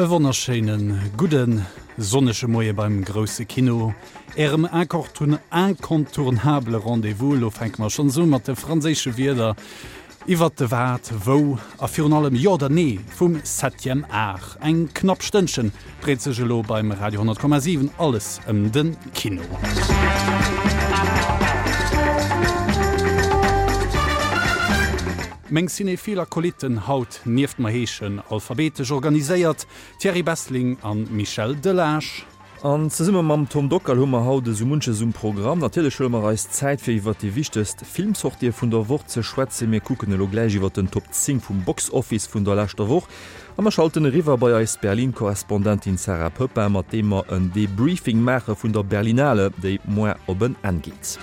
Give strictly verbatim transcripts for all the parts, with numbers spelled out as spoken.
E wonnerschéine gudde sonnege Moie beim grousse Kino, Ärem incontournabele Rendez-vous. Elo fänke mer schonns u mat de franséische Wierder iwwert de Wat, Wou a virun allem Jo oder Nee vum Septième Art. Eng knapp Stënnchen dréit sech elo beim Radio honnert Komma siwen alles ëm de Kino. Meng cinéphil Akolytten haut nieft mer heeschen, alphabetesch organiséiert, Thierry Bessling an Michel Delage. An zesumme mam Tom Dockal hu mer haut esou munches um Programm. Natierlech huele mer eis Zäit fir iwwert déi wichtegst Filmsortië vun der Woch ze schwätzen. Mir kucken elo gläich iwwert den Top zéng vum Box Office vun der leschter Woch a mer schalten eriwwer bei eis Berlin-Korrespondentin Sarah Poepping, mat deem mer en Debriefing maache vun der Berlinale, déi moar op en Enn geet.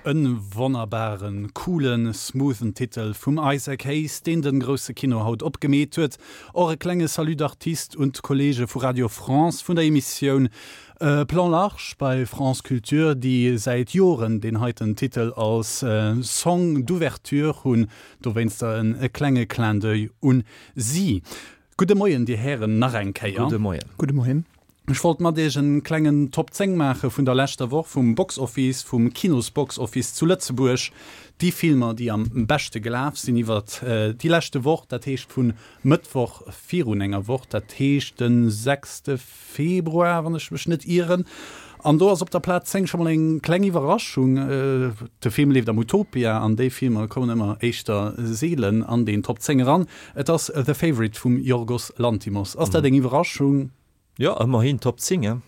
En wonnerbaren, coolen, smoothen Titel vum Isaac Hayes, deen den grousse Kino haut opgemeet huet. Och e klenge Salut d'artiste un d'Kollege vu Radio France vun der Emissioun Plan Large bei France Culture, déi säit Joren deen heiten Titel als Song d'ouverture hunn. Dowéinster e klenge Clin d'oeil un si. Gudde Moien, Dir Hären, nach eng Kéier. Gudde Moien. Gudde Moien. Ech wollt mat iech en klengen Top zéng maache vun der leschter Woch vum Box Office, vum Kinos-Box Office zu Lëtzebuerg. Déi Filmer, déi am beschte gelaf sinn iwwert déi leschte Woch, dat heescht vun Mëttwoch virun enger Woch, dat heescht de sechste Februar, wann ech mech net ieren. An do ass op der Plaz zéng scho mol eng kleng Iwwerraschung, De Film leeft am Utopia an déi Filmer kommen ëmmer éischter seelen an deen Top zéng eran. Et ass The Favourite vum Yorgos Lanthimos. Ass dat eng Iwwerraschung? Jo, ëmmerhin Top zéng, hein?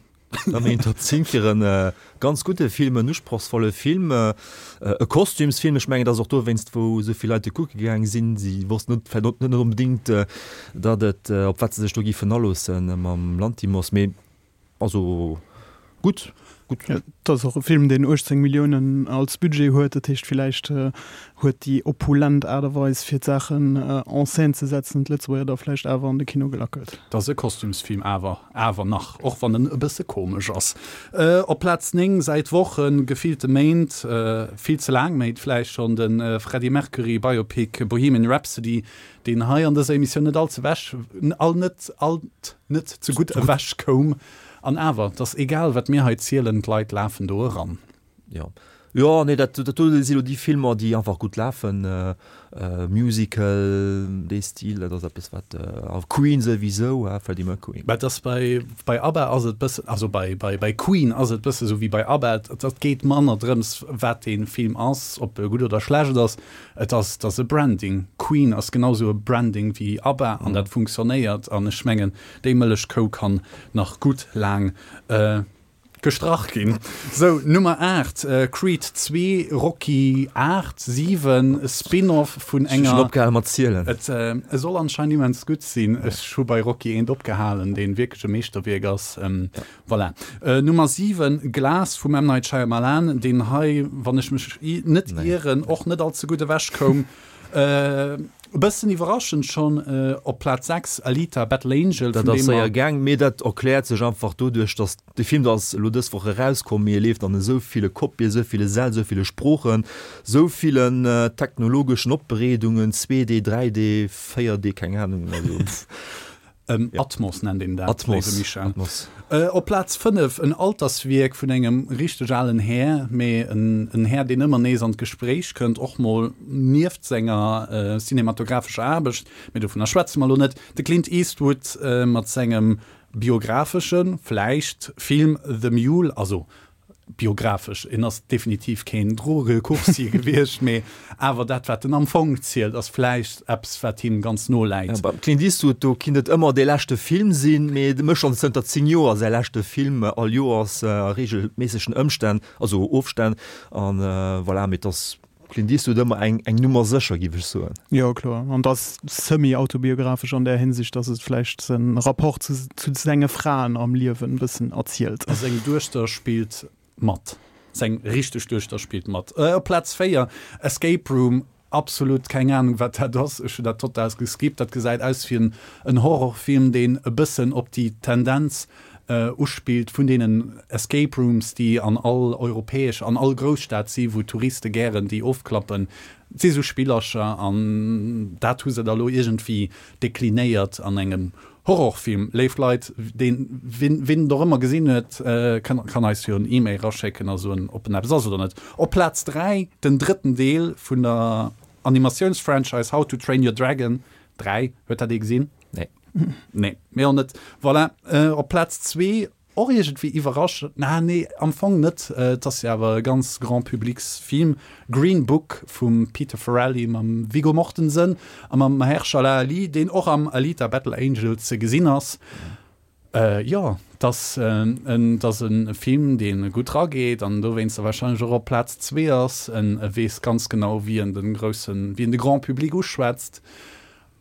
Ëmmerhin Top zéng fir e ganz gudde Film, en usprochsvolle Film, e Kostümsfilm. Ech mengen, et ass och dowéinst, wou esou vill Leit e kucke gaang sinn. Si wossten net, vläicht net onbedéngt, datt et, op wat se sech do giffen aloosse mam Lanthimos. Mee also gutt, gutt. Jo, et ass och e Film, deen uechtzéng Milliounen als Budget huet. Dat heescht, villäicht huet déi opulent Aart a Weis, fir d'Saachen en scène ze setzen, d'Lëtzebuerger da vläicht awer an de Kino gelackelt. Et ass e Kostümsfilm, awer, awer nach, och wann en e bësse komesch ass. Op Plaz néng säit Wochen, gefillte Méint, vill ze laang Méint vläicht schonn, de Freddie Mercury Biopic Bohemian Rhapsody, deen hei an dëser Emissioun net all ze wech, all net, alt net ze gutt ewech koum. An awer, 't ass egal, wat mir hei zielen, d'Leit lafen do eran. Jo, jo, nee, dat, dat do si lo déi Filmer, déi einfach gutt lafen. Musical, dee Stil, dat ass eppes, wat, a Queen souwisou, ha, Freddie Mercury. Mä et ass bei, bei ABBA ass et bëssen, also bei, bei, bei Queen ass et bësse sou wéi bei ABBA, et, et geet manner drëms, wat dee Film ass, ob e gutt oder schlecht ass, et ass, et ass e Branding. Queen ass genau sou e Branding wéi ABBA an dat funktionéiert an ech mengen, Déi Mëllechkou kann nach gutt laang gestrach ginn. Sou, Nummer aacht, Creed zwee, Rocky aacht, siwen, Spin-off vun Ech hu schonn enger. opgehale mat zielen. Et soll anscheinend immens gutt sinn. Ech hu bei Rocky eent opgehalen, deen wierklech e Meeschterwierk ass. Voilà. Nummer siwen, Glass vum M. Night Shyamalan, deen hei, wann ech mech net ieren, och net all ze gutt ewech koum. E bëssen iwwerraschend schonn op Plaz sechs, Alita, Battle Angel, Dat vun ass deem mer. séier gaang, mee dat erkläert sech einfach doduerch, datt de Film, dat ass elo dës Woch erauskomm, mee e leeft an esou ville Kopien, esou ville Säll, esou ville Sproochen, esou villen technologeschen Opbereedungen, zwee D, dräi D, véier D, keng Anung, also. Atmos nennt een dat, Atmos, léiwe Michel. Atmos. Op Plaz fënnef en Alterswierk vun engem richteg alen Här, mee en en Här, deen ëmmer nees an d'Gespréich kënnt, och mol nieft senger cinematographescher Aarbecht, mee dovunner schwätze mer elo net, de Clint Eastwood mat sengem Biographesche, vläicht, Film The Mule, also biographesch, en ass definitiv keen Drogecoursier gewiescht, mee awer dat wat en am Fong zielt ass vläicht eppes wat him ganz no läit. Ja, beim Clint Eastwood, do kinnt et ëmmer dee leschte Film sinn, mee de mécht schonn zënter zéng Joer säi leschte Film all Joers a reegelméissegen Ëmstänn, also Ofstänn, an voilà, mee et ass Clint Eastwood ëmmer eng eng Nummer sécher, giff ech soen. Jo, kloer. An et ass semi-autobiographesch an där Hinsicht, dass et vläicht säi Rapport zu zu senge Fraen am Liewen e bëssen erzielt. A seng Duechter spillt mat. Seng richteg Duechter spillt mat. Op Plaz véier, Escape Room. Absolut keng Anung wat dat ass, ech hunn dat total geskippt. Dat gesäit aus wéi en Horrorfilm, deen e bëssen op déi Tendenz uspillt vun deenen Escape Rooms, déi an all europäesch, an all Grousstad si wou Touriste gären déi ofklappen. Et si sou Spillercher an dat hu se da lo iergendwéi deklinéiert an engem Horrorfilm. Léif Leit, deen, wien, wien et och ëmmer gesinn huet, kann, kann eis jo en E-Mail raschécken a soen, ob en eppes ass oder net. Op Plaz dräi, den drëtten Deel vun der Animatiounsfranchise How to Train Your Dragon dräi. Huet dat ee gesinn? Nee. Nee, mir och net. Voilà, op Plaz zwee, och iergendwéi iwwerraschend, na nee, am Fong net, et ass jo awer e ganz Grand-publics-Film, Green Book vum Peter Farrelly mam Viggo Mortensen a mam Mahershala Ali, deen och am Alita, Battle Angel ze gesinn ass. Jo, et ass en, et ass e Film, dee gutt rageet an dowéinster warscheinlech och op Plaz zwee ass. En weess ganz genau, wéi en de groussen, wéi en de Grand Public uschwätzt.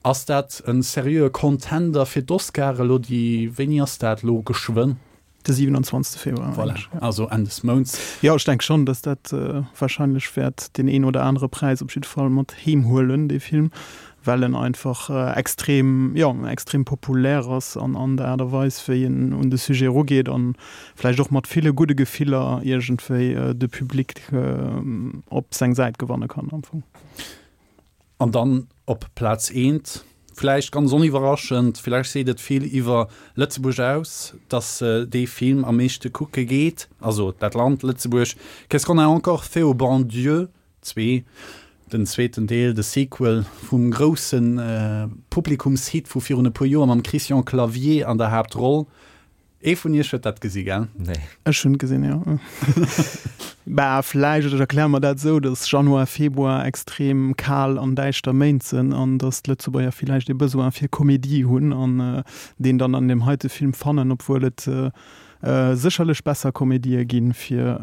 Ass dat e seriöe Contender fir d'Oscare elo déi, wéini ass dat elo geschwënn? De siwenanzwanzegste Februar, Voilà, also Enn des Mounts. Jo, ech denke schonn, datt dat warscheinlech wäert deen een oder anere Präis op jidde Fall mat heem huelen, dee Film, well en einfach extrem, jo, extrem populär ass an an der Aart a Weis, wéi en un de Sujet erugeet an vläicht och mat ville gudde Gefiller iergendwéi de Public op seng Säit gewanne kann am Fong. An dann op Plaz eent, vläicht ganz oniwwerraschend, vläicht seet et vill iwwer Lëtzebuerg aus, dass dee Film am meeschte kucke geet, also dat Land Lëtzebuerg, Qu'est-ce qu'on a encore fait au bon Dieu? Zwee, den zweeten Deel, de Sequel vum grousse Publikumshit vu virun e puer Joer mam Christian Clavier an der Haaptroll. Ee vun iech huet dat gesi, gell? Nee. Ech hunn et gesinn, jo. Bah, vläicht, ech erkläre mer dat esou, datt Januar, Februar extrem kal an däischter Méint sënn an datt d'Lëtzebuerger villäicht ee Besoin fir Komedie hunn an deen dann an deem heite Film fannen, obwuel et sécherlech besser Komedië ginn, fir,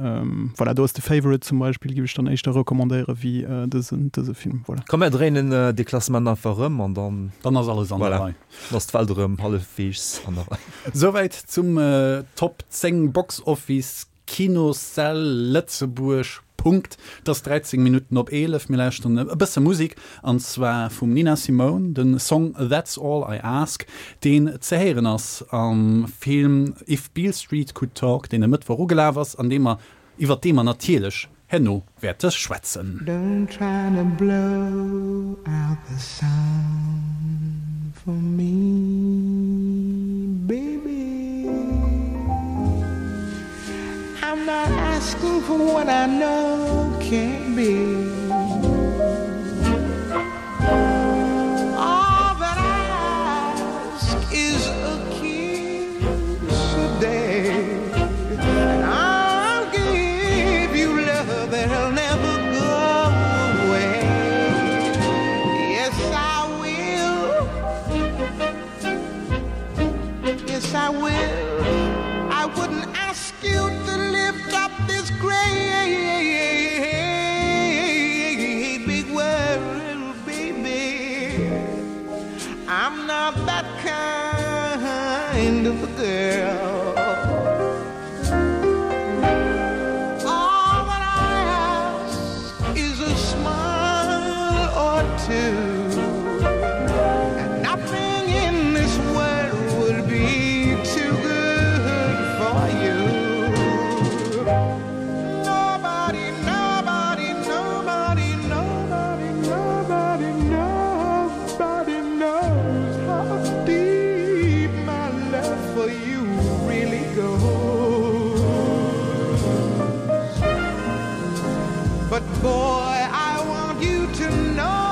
voilà, do ass The Favourite zum Beispill, géif ech dann éischter recommandéiere wéi dësen, dëse Film, voilà. Komm, mär dréinen dee Klassement einfach erëm an dann. Dann ass alles an der Rei. Voilà, dann ass d'Welt erëm hallefweegs an der Rei. Souwäit zum Top zéng Box Office Kinossäll Lëtzebuerg. Punkt. Et ass dräizéng Minutten op eelef. Mir lauschteren e bësse Musek, an zwar vum Nina Simone, de Song That's All I Ask, deen ze héieren ass am Film If Beale Street Could Talk, deen e Mëttwoch ugelaf ass an dee mer, iwwer dee mer natierlech herno wäerte schwätzen. Don't try to blow out the sound for me, baby. I'm not asking for what I know can't be. All that I ask is a kiss a day, and I'll give you love that'll never go away. Yes, I will. Yes, I will. I wouldn't ask you to lift up this great big world, baby. I'm not that kind of a girl. All that I ask is a smile or two. And nothing in this world would be too good for you. Nobody, nobody, nobody, nobody, nobody, nobody knows how deep my love for you really goes. But boy, I want you to know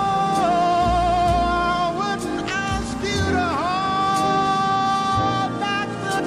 I wouldn't ask you to hold back the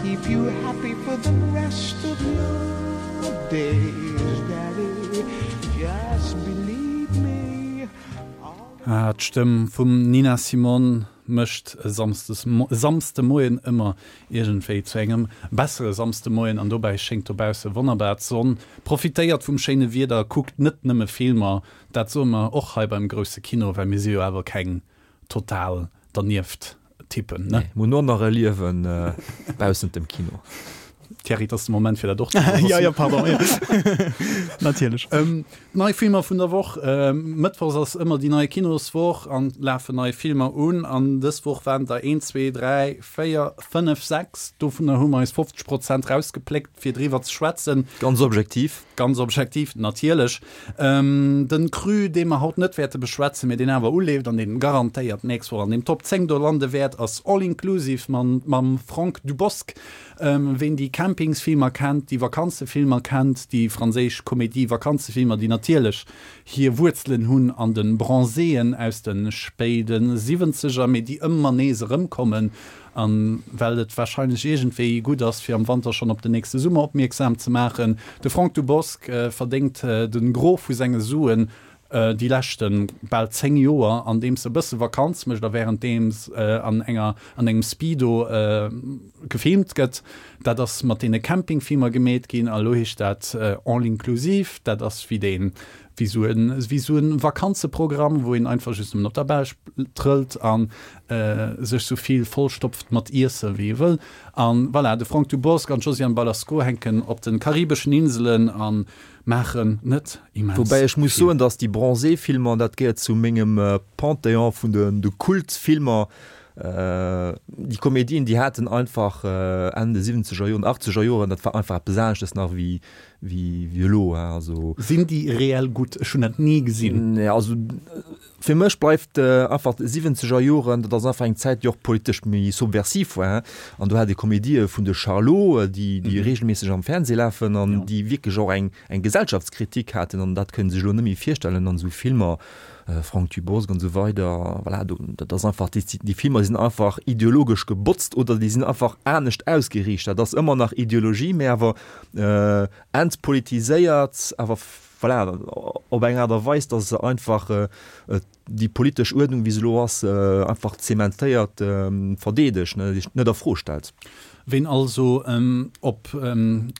keep you happy for the rest of your days, Daddy. Just believe me. Ah, d'Stëmm vum Nina Simone mécht e Samsdes Samsdemoien ëmmer iergendwéi zu engem bessere Samsdemoien an dobäi schéngt dobausse wonnerbar d'Sonn. Profitéiert vum schéine Wieder, kuckt net nëmme Filmer, dat soe mer och hei beim grousse Kino, well mir si jo awer keng total dernieft Typen, ne? Nee, mir hunn och nach e Liewen baussent dem Kino. Thierry, et ass de Moment fir dat och ze soen. Ja, ja, pardon, ja. Natierlech. Ähm, nei Filmer vun der Woch. Ähm, Mëttwochs ass ëmmer déi nei Kinoswoch an lafen nei Filmer un. An dës Woch waren der een, zwee, dräi, véier, fënnef, sechs. Dovunner hu mer eis fofzeg Prozent rausgepléckt, fir driwwer ze schwätzen. Ganz objektiv. Ganz objektiv, natierlech. Den Cru, dee mer haut net wäerte beschwätzen, mee deen awer uleeft an deen garantéiert d'nächst Woch an den Top zéng do lande wäert, ass All Inclusive mam Franck Dubosc. Ween déi Campingsfilmer kennt, déi Vakanzefilmer kennt, déi franséisch Komedie-Vakanzefilmer, déi natierlech hir Wuerzelen hunn an de Bronzéen aus de spéide Siwwenzeger, mee déi ëmmer nees erëmkommen, A well et warscheinlech iergendwéi gutt ass, fir am Wanter schonn op den nächste Summer opmierksam ze maachen, de Franck Dubosc verdéngt de Gros vu senge Suen déi leschte bal zéng Joer, andeems e bësse Vakanz mécht a wärenddeems an enger an engem Speedo gefilmt gëtt. Dat ass mat deene Campingfilmer gemeet ginn a lo heescht dat All inclusive. Dat ass wéi dee wéi sou en, wéi sou en Vakanzeprogramm, wou een einfach just nëmmen op der Belsch trëllt an sech sou vill vollstopft mat Iesse wéi ee wëll. An voilà, de Franck Dubosc an d'Josiane Balasko hänken op de karibeschen Inselen a maachen net immens Woubäi ech muss vill. soen, dass déi Bronzé-Filmer, dat gehéiert zu mengem Panthéon vun de Kultfilmer, déi Komedien, déi haten einfach Enn de siwwenzeger Joren, achtzeger Joren, dat war einfach eppes aneschtes nach wéi wéi elo. Also. Sinn déi reell gutt? Ech hunn dat ni gesinn. Nee, also fir mech bleift einfach d'siwwenzeger Joren, dat ass einfach eng Zäit, déi och politesch méi subversiv war. An do hat ee Komedië vun de Charlots, déi déi reegelméisseg am Fernseh lafen an déi wierklech och eng eng Gesellschaftskritik haten. An dat kënnt ee sech elo net méi virstellen an esou Filmer. Franck Dubosc an esou weider, voilà, do, dat ass einfach, déi, déi Filmer sinn einfach ideologesch gebotzt oder déi sinn einfach anescht ausgeriicht. Dat ass ëmmer nach Ideologie, mä awer entpolitiséiert, awer voilà, op eng Aart a Weis, datt se einfach déi politesch Uerdnung, wéi se elo ass, einfach zementéiert verdeedegt, net a Fro stellt. Ween also op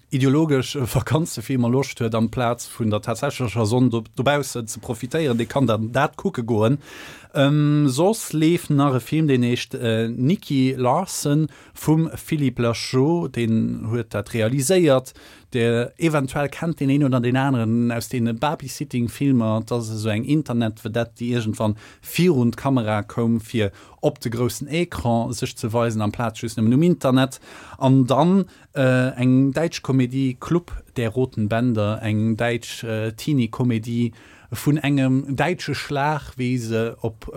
ideologesch Vakanzefilmer Loscht huet, amplaz vun der tatsächlecher Sonn dobaussen ze profitéieren, dee kann dann dat kucke goen. Soss leeft nach e Film, deen heescht Nicky Larson vum Philippe Lacheau, deen huet dat realiséiert. Der eventuell kennt deen een oder deen aneren aus deene Babysitting-Filmer. Et ass esou eng Internetvedette, déi iergendwann virun d'Kamera koum, fir op de groussen Ecran sech ze weisen, amplaz just nëmmen um Internet. An dann eng däitsch Komedie, Club der roten Bänder, eng däitsch Teenie-Komedie vun engem däitsche Schlag, wéi se op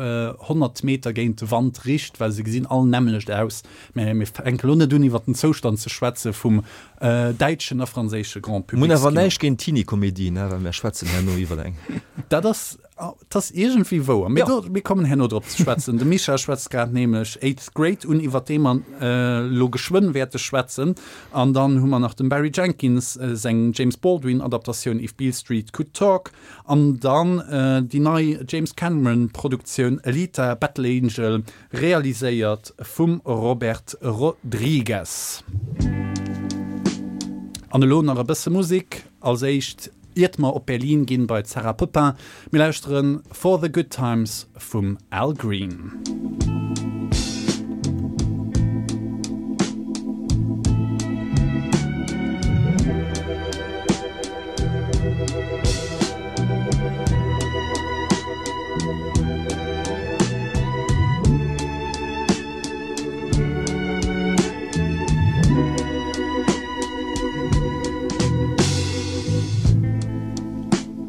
honnert Meter géint de Wand richt, well se gesinn all nämmlecht aus. Mä mir fänke lo net un, iwwer den Zoustand ze schwätze vum däitschen a franséische Grand Mir hunn awer Publics-Kino. näischt géint Teenie-Komedien, well mir schwätzen herno iwwer eng. Dat ass 't ass iergendwéi wouer, mee do, mir kommen herno drop ze schwätzen. De Mischa schwätzt grad nämlech Eighth Grade un, iwwer dee mer elo geschwënn wäerte schwätzen. An dann hu mer nach dem Barry Jenkins seng James Baldwin-Adaptatioun If Beale Street Could Talk an dann déi nei James Cameron-Produktioun Alita, Battle Angel, realiséiert vum Robert Rodriguez. An elo nach e bësse Musek. Als éischt, iert mer op Berlin ginn bei d'Sarah Poppin, mir lauschteren For the Good Times vum Al Green.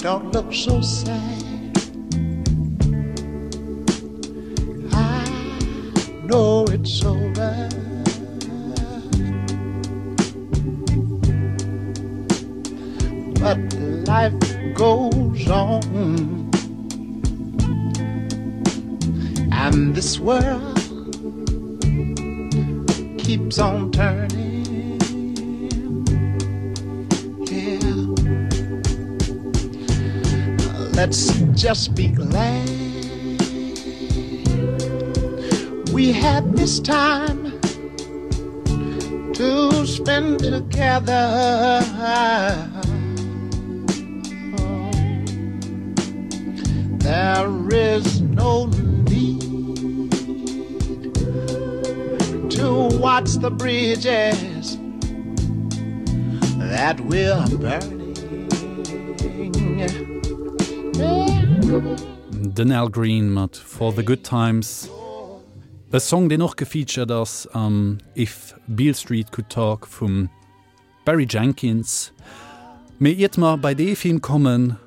Don't look so sad I know it's over But life goes on And this world keeps on turning Let's just be glad we had this time to spend together. There is no need to watch the bridges that we're burning. Den Al Green mat For the Good Times, e Song deen och gefeatured ass am If Beale Street Could Talk vum Barry Jenkins. Mee iert mer bei dee Film kommen,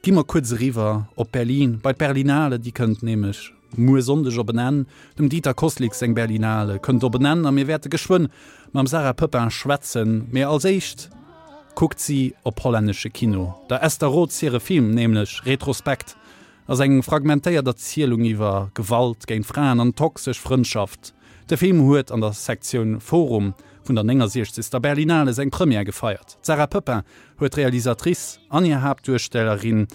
gi mer kuerz eriwwer op Berlin, bei d'Berlinale. Déi kënnt nämlech muer Sonndeg op en Enn. Dem Dieter Kosslick seng Berlinale kënnt op en Enn a mir wäerte geschwënn mam Sarah Pepin schwätzen. Mee als éischt kuckt si op hollännesche Kino. Der Esther Rots hire Film nämlech, Retrospekt, ass eng fragmentéiert Erzielung iwwer Gewalt géint Fraen an toxesch Frëndschaft. De Film huet an der Sektioun Forum vun der néngasiechzegster Berlinale seng Première gefeiert. D'Sarah Pepin huet d'Realisatrice an hir Haaptduerstellerin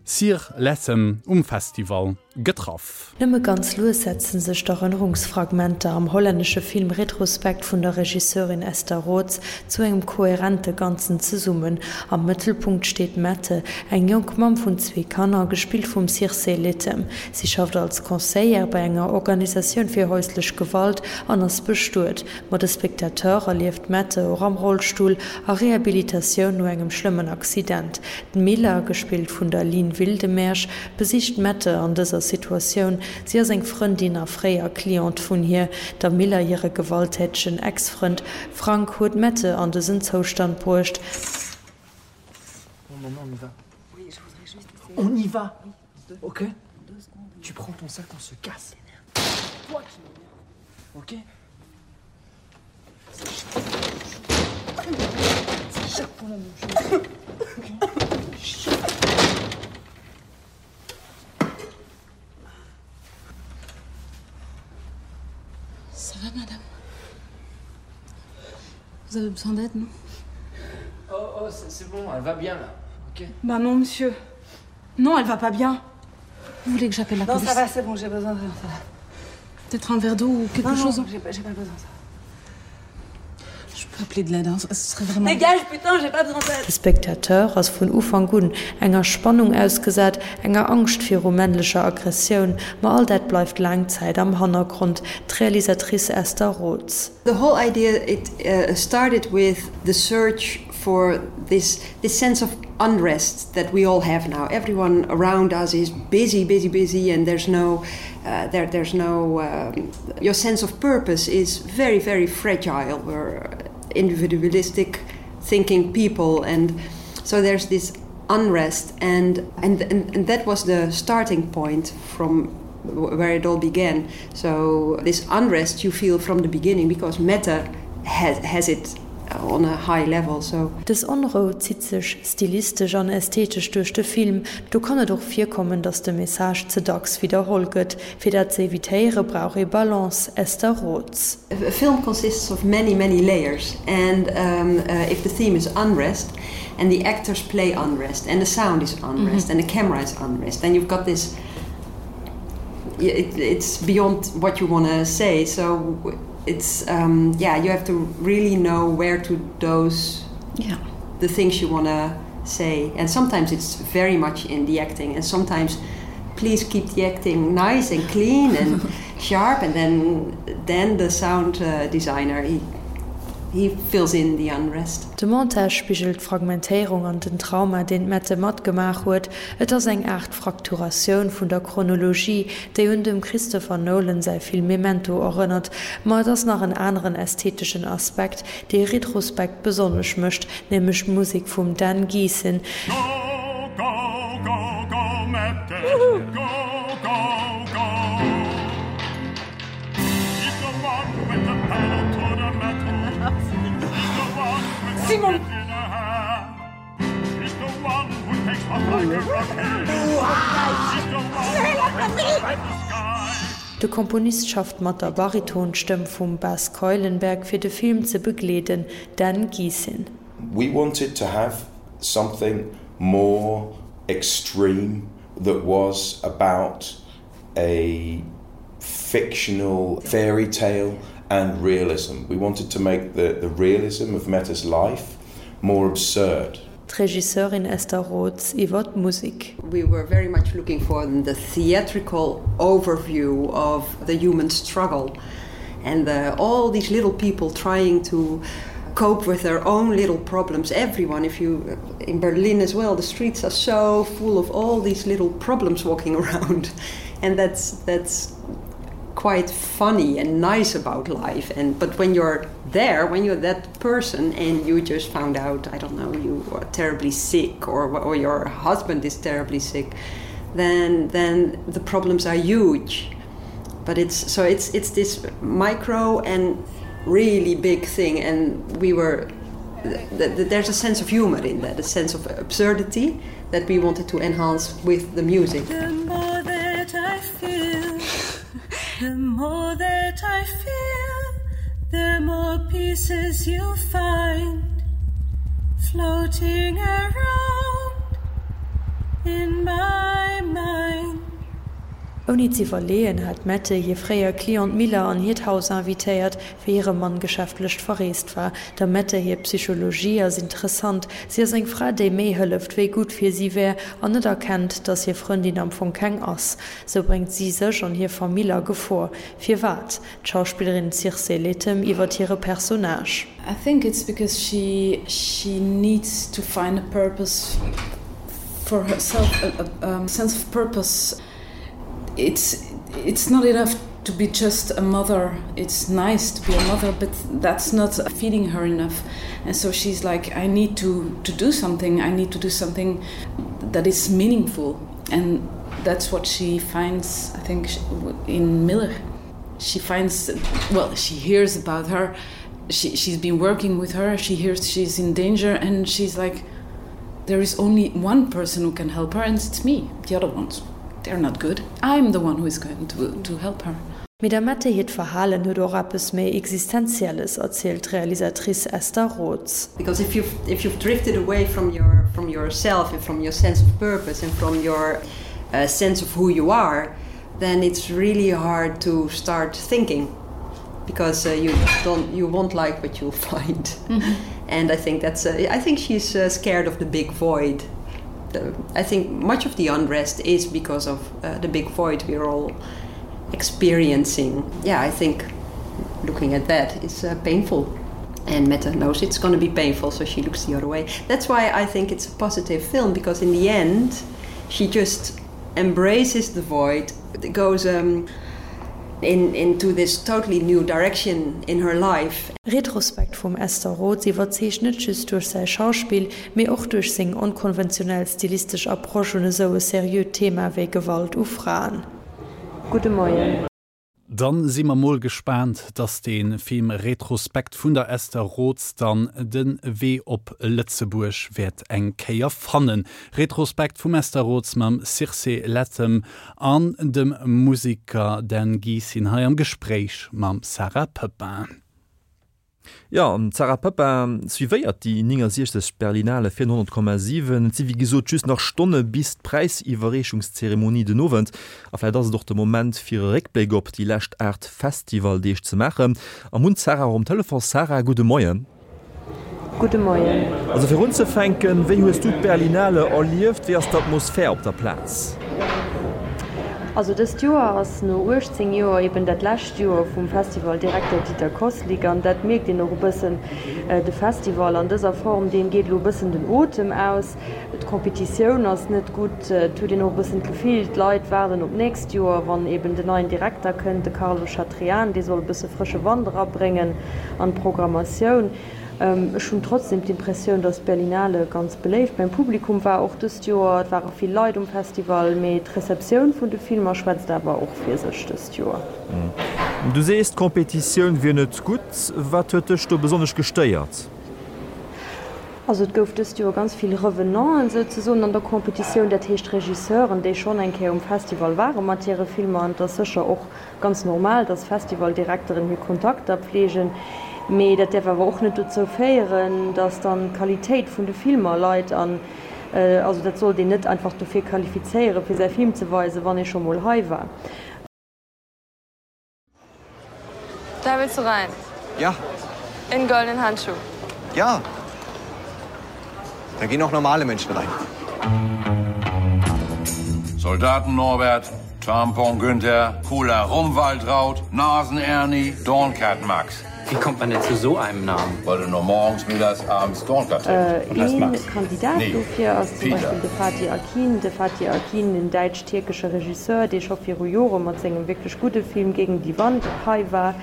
Cyr Lethem um Festival getraff. Nëmme ganz lues setzen sech d'Erënnerungsfragmenter am hollännesche Film Retrospekt vun der Regisseurin Esther Rots zu engem kohärente Ganzen zesummen. Am Mëttelpunkt steet d'Mette, eng jonk Mamm vun zwee Kanner, gespillt vum Circe Lethem. Si schafft als Conseillère bei enger Organisatioun fir häuslech Gewalt an ass bestuet. Ma de Spectateur erlieft d'Mette och am Rollstull, a Rehabilitatioun no engem schlëmmen Accident. D'Milla, gespillt vun der Line Wildemeersch, besicht d'Mette an dëser Situatioun. Si ass eng Frëndin a fréier Cliente vun hir. Der Milla hire gewalttätegen Ex-Frënd Frank huet d'Mette an dësen Zoustand bruecht. Bon, maman, on y va. Oui, je voudrais juste essayer. On y va. Oui, deux, ok deux secondes. Tu prends ton sac, on se casse. Toi qui m'énerve. Ok C'est chaque fois la même chose. Ok Ça va, madame Vous avez besoin d'aide, non Oh, oh, c'est bon, elle va bien là. Ok Bah non, monsieur. Non, elle va pas bien. Vous voulez que j'appelle la non, police Non, ça va, c'est bon, j'ai besoin de rien, ça va. Peut-être un verre d'eau ou quelque non, chose Non, j'ai pas, pas besoin de ça. Je peux appeler de l'aide, hein, ce serait vraiment. Dégage, putain, j'ai pas besoin d'aide. De Spectateur ass vun Ufank un enger Spannung ausgesat, enger Angscht viru männlecher Aggressioun, ma all dat bleift laang Zäit am Hannergrond. D'Realisatrice Esther Rots. The whole idea it uh, started with the search for this this sense of unrest that we all have now. Everyone around us is busy, busy, busy and there's no uh, there, there's no um, your sense of purpose is very, very fragile. We're individualistic thinking people and so there's this unrest and and and, and that was the starting point from where it all began. So this unrest you feel from the beginning because meta has, has it on a high level so. Dës Onrou zitt sech stilistesch an ästhetesch duerch de Film. Do kann et och virkommen, datt de Message ze dacks widderholl gëtt. Fir dat ze evitéiere brauch ee Balance. Esther Rots. A film consists of many many layers and um, uh, if the theme is unrest and the actors play unrest and the sound is unrest mm -hmm. and the camera is unrest then you've got this it, it's beyond what you want to say so it's um, yeah you have to really know where to dose yeah. the things you want to say and sometimes it's very much in the acting and sometimes please keep the acting nice and clean and sharp and then then the sound uh, designer he he fills in the unrest. De Montage spigelt d'Fragmentéierung an den Trauma, deen d'Mette matgemaach huet. Et ass eng Aart Frakturatioun vun der Chronologie, déi un dem Christopher Nolan säi Film Memento erënnert. Ma et ass nach en aneren ästheteschen Aspekt, dee Retrospekt besonnesch mécht, nämlech d'Musek vum Dan Gisin. Go, go, go, go, Mette, go, go, go. He's the one with the pedal to the metal. He's the one with the Simon! in the hand. He's the one who takes off like a rocket. He's the one who takes off in the sky. De Komponist schafft mat der Baritonstëmm vum Bas Keulenberg fir de Film ze begleeden, Dan Gisin. We wanted to have something more extreme that was about a fictional fairy tale and realism. We wanted to make the, the realism of Meta's life more absurd. D'Regisseurin Esther Rots iwwer d'Musek. We were very much looking for the theatrical overview of the human struggle and the, all these little people trying to cope with their own little problems. Everyone, if you in Berlin as well, the streets are so full of all these little problems walking around and that's that's quite funny and nice about life and but when you're there when you're that person and you just found out I don't know you are terribly sick or or your husband is terribly sick then then the problems are huge but it's so it's it's this micro and really big thing and we were th th there's a sense of humor in that a sense of absurdity that we wanted to enhance with the music the more that I feel the more that I feel the more pieces you'll find floating around in my mind Ouni z'iwwerleeën hat d'Mette hir fréier Cliente Miller an hiert Haus invitéiert, wéi hire Mann geschäftlech verreest war. Der Mette hir Psychologie ass interessant, si ass eng Fra, déi méi hëlleft, wéi gutt fir si wär, an net erkennt, dass hir Frëndin am Fong keng ass. Sou bréngt si sech an hir Famill a Gefor. Firwat? D'Schauspillerin Circe Lethem iwwert hire Personnage. I think it's because she she needs to find a purpose for herself a, a, a sense of purpose it's it's not enough to be just a mother it's nice to be a mother but that's not feeding her enough and so she's like I need to to do something I need to do something that is meaningful and that's what she finds I think in Miller she finds well she hears about her she, she's been working with her she hears she's in danger and she's like there is only one person who can help her and it's me the other ones they're not good I'm the one who is going to, to help her. Mee der Mette hiert Verhalen huet och eppes méi Existenzielles, erzielt d'Realisatrice Esther Rots. Because if you've, if you've drifted away from your, from yourself and from your sense of purpose and from your uh, sense of who you are, then it's really hard to start thinking because uh, you don't you won't like what you'll find. Mm -hmm. And I think that's uh, I think she's uh, scared of the big void. The, I think much of the unrest is because of uh, the big void we're all experiencing. Yeah, I think looking at that is uh, painful. And Mette knows it's going to be painful, so she looks the other way. That's why I think it's a positive film, because in the end, she just embraces the void, goes um, in, into this totally new direction in her life. Retrospekt vum Esther Rots iwwerzeegt net just duerch säi Schauspill, mee och duerch seng onkonventionell stilistesch Approche un esou e seriöt Thema wéi Gewalt u Fraen. Gudde Moien. Dann si mer mol gespaant, dass de Film Retrospekt vun der Esther Rots dann den Wee op Lëtzebuerg wäert eng Kéier fannen. Retrospekt vum Esther Rots mam Circe Lethem an dem Museker Dan Gisin hei am Gespréich mam Sarah Pepin. Jo, an d'Sarah Pepin suivéiert déi néngasiechzeg Berlinale fir honnert Komma siwen. Et si wéi gesot just nach Stonne bis d'Präisiwwerreechungszeremonie den Owend. A vläicht ass et och de Moment fir e Réckbléck op déi lescht aacht Festivaldeeg ze maachen. A mir hunn d'Sarah och um Telefon. Sarah, gudde Moien. Gudde Moien. Also fir unzefänken, wéi hues du d'Berlinale erlieft? Wéi ass d'Atmosphär op der Plaz? Also dëst Joer ass no uechtzéng Joer eben dat lescht Joer vum Festivaldirekter Dieter Kosslick an dat mierkt een och e bëssen. De Festival an dëser Form, deem geet elo e bëssen den Otem aus. D'Competitioun ass net gutt, et huet een och e bëssen d'Gefill, d'Leit waarden op d'nächst Joer, wann eben den neien Direkter kënnt, de Carlo Chatrian, dee soll e bësse frësche Wand erabréngen an d'Programmatioun. Ech hunn trotzdem d'Impressioun, dass d'Berlinale ganz beléift beim Publikum war, och dëst Joer. Et ware vill Leit um Festival, mee d'Receptioun vun de Filmer schwätzt awer och fir sech dëst Joer. Du sees, d'Competitioun wier net gutt. Wat huet dech do besonnesch gestéiert? Also et gouf dëst Joer ganz vill Revenanten souzesoen an der Competitioun, dat heescht Regisseuren, déi schonn eng Kéier um Festival ware mat hire Filmer. An et ass sécher och ganz normal, dass Festivaldirekteren hir Kontakter pflegen. Mee dat däerf awer och net dozou féieren, dass dann d'Qualitéit vun de Filmer leit. An Also dat sollt een net einfach dofir qualifizéieren, fir säi Film ze weisen, wann ee scho mol hei war. Da willst du rein? Ja. In goldenen Handschuh? Ja. Da gehen auch normale Menschen rein. Soldaten Norbert, Tampon Günther, Cola Rumwaldraut, Nasen Ernie, Dornkat Max. Wie kommt man denn zu so einem Namen? Weil du nur morgens, mittags, abends Dornkat Ee Kandidat dofir ass zum Beispill de Fatih Akin. De Fatih Akin, den däitsch-tierkesche Regisseur, dee scho viru Jore mat sengem wierklech gudde Film Gegen die Wand hei war,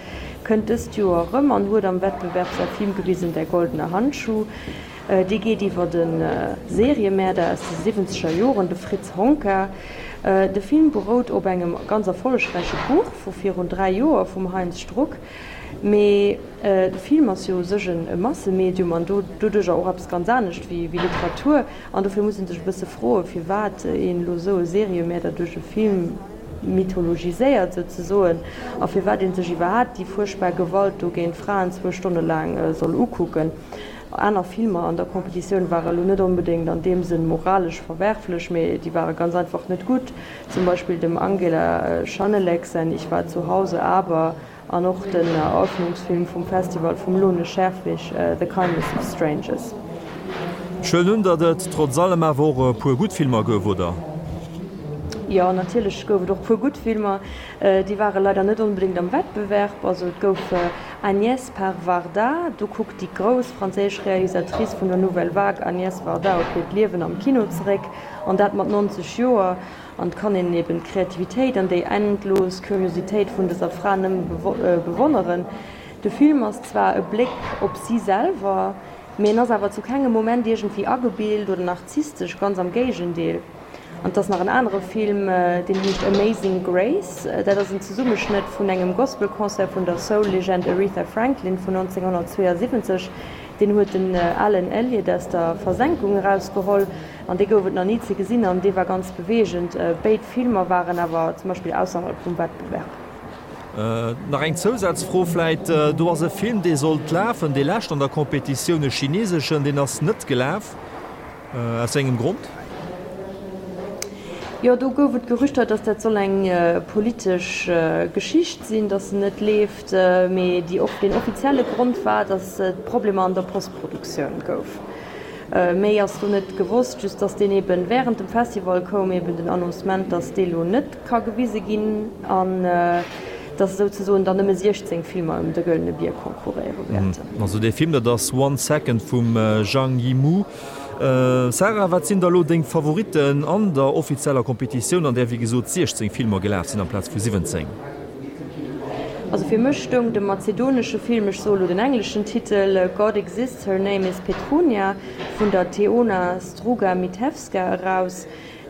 kënnt dëst Joer erëm an huet am Wettbewerb säi Film gewisen Der goldene Handschuh. Dee geet iwwer e Seriemäerder aus de siwwenzeger Joren, de Fritz Honka. De Film berout op engem ganz erfollegräiche Buch vu virun dräi Joer vum Heinz Struck. Mee de Film ass jo u sech e Massemedium an doduercher och eppes ganz anescht wéi Literatur. An dofir muss ee sech e bësse froen, firwat een elo esou e Seriemäerder duerch e Film mythologiséiert souzesoen a firwat ee sech iwwerhaapt déi fuerchtbar Gewalt do géint Fraen zwou Stonne laang soll ukucken. Aner Filmer an der Competitioun ware elo net onbedéngt an deem Sënn moralesch verwerflech, mee déi ware ganz einfach net gutt. Zum Beispill dem Angela Schanelec säin Ich war zu Hause, aber an och den Eröffnungsfilm vum Festival vum Lone Scherfig, The Kindness of Strangers. Ech huelen un, datt et trotz allem awer och e puer gutt Filmer gouf, oder? Jo, natierlech gouf et och puer gutt Filmer. Déi ware leider net onbedéngt am Wettbewerb. Also et gouf Agnès par Varda, do kuckt déi grouss franséisch Realisatrice vun der Nouvelle Vague Agnès Varda op hiert Liewen am Kino zeréck, an dat mat neunzeg Joer. An et kann een eben d'Kreativitéit an déi endlos Curiositéit vun dëser Fra nëmme bewonneren. De Film ass zwar e Bléck op si selwer, mee en ass awer zu kengem Moment iergendwéi agebilt oder narzisstesch, ganz am Géigendeel. An et ass nach en anere Film, deen heescht Amazing Grace. Dat ass en Zesummeschnëtt vun engem Gospelconcert vun der Soul-Legend Aretha Franklin vun nonzénghonnertzweeasiwwenzeg. Deen huet den Alan Elliott aus der Versenkung erausgeholl an dee gouf et nach ni ze gesinn an dee war ganz beweegend. Béid Filmer waren awer zum Beispill ausserhalb vum Wettbewerb. Nach eng Zousazfro vläit, Do ass e Film, dee sollt lafen, dee lescht an der Competitioun, e chineseschen, deen ass net gelaf. Aus wéi engem Grond? Jo, do gouf et Gerüchter, datt dat soll eng politesch Geschicht sinn, datt en net leeft. Mee déi, deen offizielle Grond war, datt et Problemer an der Postproduktioun gouf. Méi ass do net gewosst, just datt deen eben wärend dem Festival koum eben den Annoncement, datt dee lo net ka gewise ginn an datt esouzesoen dann nëmme siechzéng Filmer ëm de Gëllene Bier konkurréiere wäerten. Also dee Film, dat ass One Second vum Zhang Yimou. Sarah, wat sinn da lo deng Favoritten an der offizieller Competitioun, an där wéi gesot siechzéng Filmer gelaf sinn amplaz vu siwwenzéng? Also fir mech stoung de mazedonesche Film, ech soe lo den engleschen Titel, God Exists, Her Name is Petrunia vun der Teona Struga Mitevska eraus.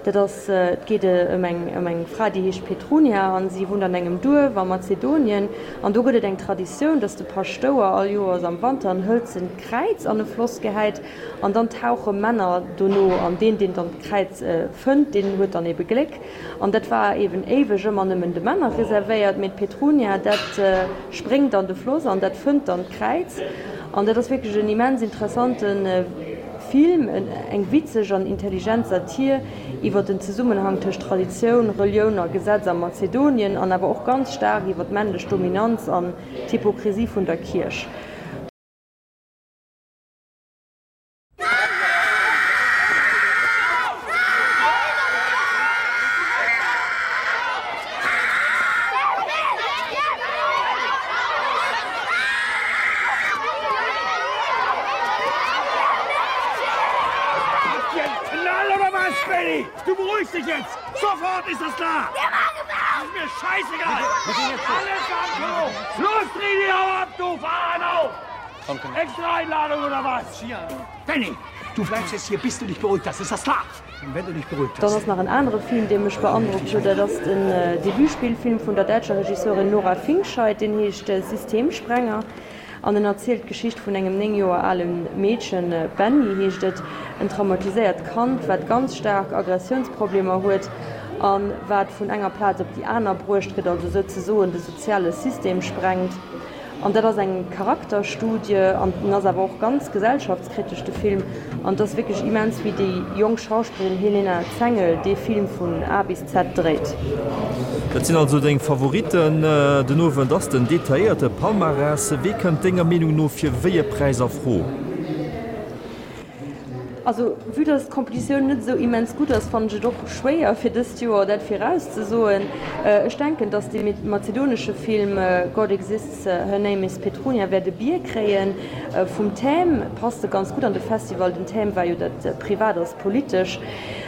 Dat ass, et geet ëm eng, ëm eng Fra, déi heescht Petrunia an si wunnt an engem Duerf a Mazedonien. An do gëtt et eng Traditioun, dass de Paschtouer all Joers am Wanter en hëlzent Kräiz an e Floss gehäit an dann tauche Männer dono an deen, deen dann d'Kräiz fënnt, deen huet dann ebe Gléck. An dat war eben éiweg ëmmer nëmmen de Männer reservéiert, mee d'Petrunia, dat spréngt an de Floss an dat fënnt dann d'Kräiz. An dat ass wierklech en immens interessante Film, eng witzeg an intelligent Satir iwwer den Zesummenhang tëscht Traditioun, Relioun a Gesetz a Mazedonien an awer och ganz staark iwwer d'männlech Dominanz an d'Hypokrisie vun der Kierch. Du beruhigst dich jetzt! Sofort ist das klar! Das ist mir scheißegal! Alles am Klo! Los, dreh die Hau ab, du Fahren auf! Extra Einladung oder was? Benny, du bleibst jetzt hier, bis du dich beruhigt hast. Ist das klar? Und wenn du dich beruhigt Dann hast. ass nach en anere Film, dee mech beandrockt huet, dat ass den Debutspillfilm vun der däitscher Regisseurin Nora Fingscheidt, deen heescht Systemsprenger an en erzielt d'Geschicht vun engem néng Joer ale Meedchen, Benny heescht et, en traumatiséiert Kand, wat ganz staark Aggressiounsproblemer huet a wat vun enger Plaz op déi aner bruecht gëtt, also souzesoen de soziale System sprengt. An dat ass eng Charakterstudie an en ass awer och ganz gesellschaftskritesch, de Film. An et ass wierklech immens, wéi déi jonk Schauspillerin Helena Zengel dee Film vun A bis Z dréit. Dat sinn also deng Favoritten. Den Owend ass den detailléierte Palmarès. Wee kënnt denger Meenung no fir wéi e Präis a Fro? Also vue dass d'Competitioun net esou immens gutt ass, fannen ech et och schwéier fir dëst Joer dat virauszesoen. Ech denken, dass dee mazedonesche Film God Exists, Her Name is Petrunia wäert e Bier kréien. Vum Thème passt e ganz gutt an de Festival. Den Thème war jo dat Privat ass politesch.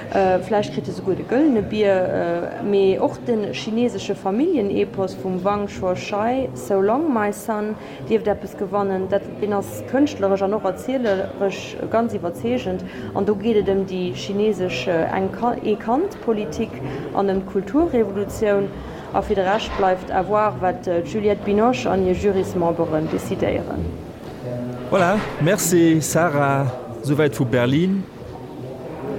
Vläicht kritt e souguer de Gëllene Bier. Mee och de chinesesche Familljen-Epos vum Wang Shuoshai, So Long, My Son, dierft eppes gewannen. Dat deen ass kënschtleresch an och erzieleresch ganz iwwerzeegend. An do geet et ëm déi chinesesch Ee-Kand-Politik an ëm d'Kulturrevolutioun. A fir de Rescht bleift à voir, wat d'Juliette Binoche an hir Jurysmemberen decidéieren. Voilà, merci Sarah, souwäit vu Berlin.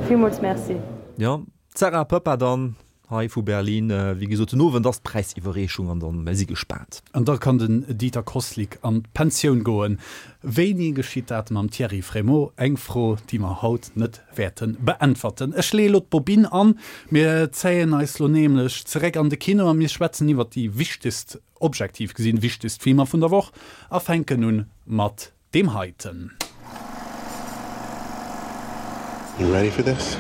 Villmools merci. Jo, d'Sarah Poepping dann hei vu Berlin. Wéi gesot, den Owend ass d'Präisiwwerreechung an dann, mir si gespaant. An da kann den Dieter Kosslick an d'Pensioun goen. Wéini geschitt dat mam Thierry Frémaux? Eng Fro, déi mer haut net wäerte beäntwerten. Ech leeë lo d'Bobinn an. Mir zéien eis lo nämlech zeréck an de Kino a mir schwätzen iwwert déi wichtegst, objektiv gesinn, wichtegst Filmer vun der Woch a fänken un mat deem heiten. You ready for this?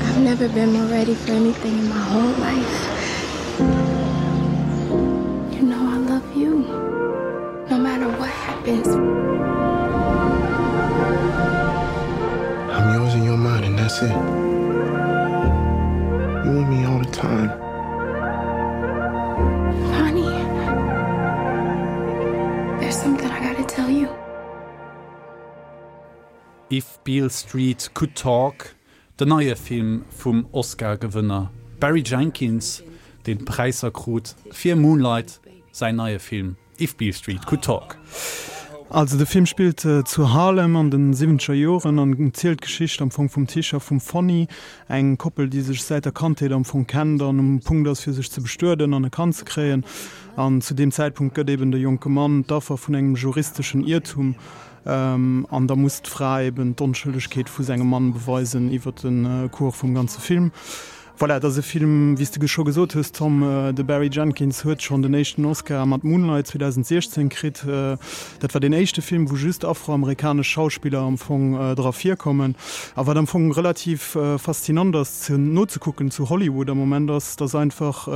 I've never been more ready for anything in my whole life. You know I love you. No matter what happens. I'm yours and you're mine and that's it. You want me all the time. Honey, there's something I gotta tell you. If Beale Street Could Talk, den neie Film vum Oscar-Gewënner Barry Jenkins, deen Präisser krut fir Moonlight, säin neie Film If Beale Street Could Talk. Also de Film spillt zu Harlem an den siwwenzeger Joren an zielt d'Geschicht am Fong vum Tisch a vum Fonny, eng Koppel déi sech säit der Kandheet am Fong kennt an um Punkt ass fir sech ze bestueden an e Kand ze kréien. An zu deem Zäitpunkt gëtt eben de jonke Mann d'Affer vun engem juristeschen Iertum an da muss d'Fra eben d'Onschëllegkeet vu sengem Mann beweisen iwwer de Cours vum ganze Film. Voilà, et ass e Film, wéi s de scho gesot hues, Tom, de Barry Jenkins huet schonn den éischten Oscar mat Moonlight zweedausendsiechzéng kritt. Dat war deen éischte Film, wou just afroamerikanesch Schauspiller am Fong dra virkommen. A wat am Fong relativ faszinant ass ze nozekucken zu Hollywood am Moment, ass, datt einfach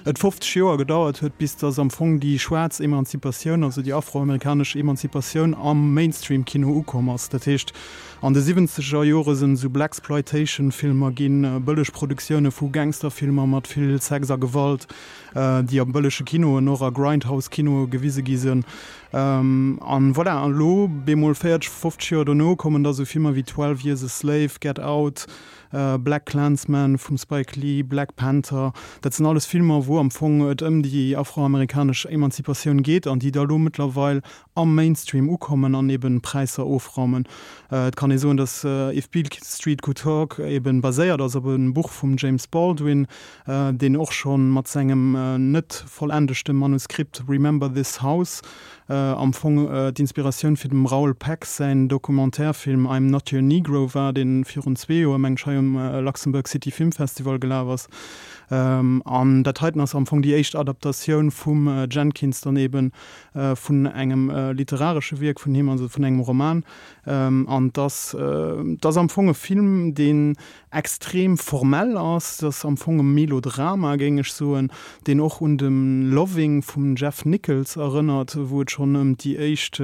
et fofzeg Joer gedauert huet, bis datt am Fong déi schwaarz Emanzipatioun, also déi afroamerikanesch Emanzipatioun am Mainstream-Kino ukomm ass. Dat heescht, An de siwwenzeger Jore sinn esou Blaxploitation-Filmer ginn, bëlleg Produktioune vu Gangsterfilmer mat vill Sex a Gewalt, déi a bëllege Kinoen, och a Grindhouse-Kinoe gewise gi sinn. An voilà, an elo bemol véierteg, fofzeg Joer dono kommen da sou Filmer wéi Twelve Years a Slave, Get Out, BlacKkKlansman vum Spike Lee, Black Panther. Dat sinn alles Filmer, wou am Fong et ëm déi afroamerikanesch Emanzipatioun geet an déi da lo mëttlerweil am Mainstream ukommen an eben Präisser ofraumen. Et kann ee soen, datt If Beale Street Could Talk eben baséiert ass op e Buch vum James Baldwin, deen och scho mat sengem net vollendegte Manuskript Remember This House am Fong d'Inspiratioun fir dem Raoul Peck säin Documentaire-Film I'm Not Your Negro war, dee virun zwee Joer, mengen ech, hei um Luxembourg City Film Festival gelaf ass. An dat heiten ass am Fong déi éischt Adaptatioun vum Jenkins dann eben vun engem literaresche Wierk vun him, also vun engem Roman. An et ass, et ass am Fong e Film, deen extrem formell ass. Et ass am Fong e Melodrama, géing ech soen, deen och un de Loving vum Jeff Nichols erënnert, wou et schonn ëm déi éischt,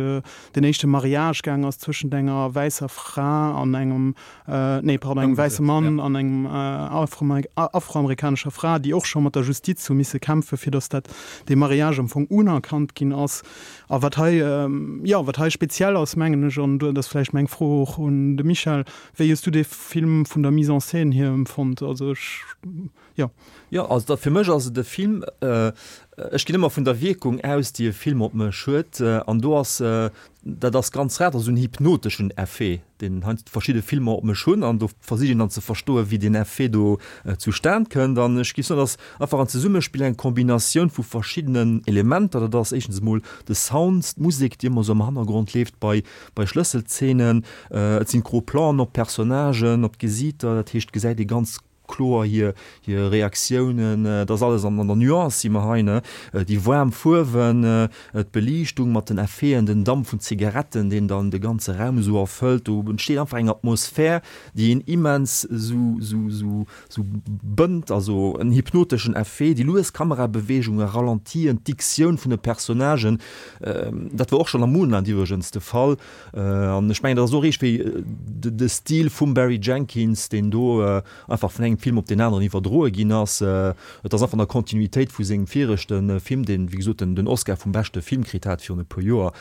den éischte Mariage gaang ass zwëschent enger wäisser Fra an engem nee, pardon, engem wäisse Mann an engem afroamerikanescher Fra, déi och scho mat der Justiz hu misse kämpfen, fir datt dat, dee Mariage am Fong unerkannt ginn ass. A wat hei, jo, wat hei speziell ass, mengen ech, an dat ass vläicht meng Fro och un de Michel, Wéi hues du dee Film vun der Mise en scène hier empfonnt? Also ech, jo. Jo, also da fir mech ass et e Film, Ech ginn ëmmer vun der Wierkung aus, déi e Film op mech huet, an do ass, dat ass ganz rar, esou en hypnoteschen Effet, deen heiansdo verschidde Filmer op mech hunn, an do versich een dann ze verstoen, wéi deen Effet do zustan kënnt. An ech géif soen, dat ass einfach en Zesummespill, eng Kombinatioun vu verschiddenen Elementer. Dat ass éischtens emol de Sound, d'Musek, déi ëmmer esou am Hannergrond leeft bei, bei Schlësselzeenen. Et sinn d'Gros Planen op d'Personnagen, op d'Gesiiter, dat heescht, et gesäit ee ganz kloer hir hir Reaktiounen, et ass alles an der Nuance si mer hei, ne, déi waarm Fuerwen, d'Beliichtung mat den Effeten, den Damp vun Zigaretten, deen dann de ganze Raum esou erfëllt, do entsteet einfach eng Atmosphär, déi een immens esou esou esou esou bënnt, also en hypnoteschen Effet, déi lues Kamerabeweegungen, Ralentien, d'Diktioun vun de Personnagen, dat war och schonn am Moonland iwwregens de Fall, an ech mengen, dat ass och iergendwéi de Stil vum Barry Jenkins, deen do einfach vun engem Film op deen aneren iwwerdroe ginn ass. Et ass einfach an der Kontinuitéit vu sengem viregte Film, deen, wéi gesot, den Oscar vum beschte Film kritt hat virun e puer Joer.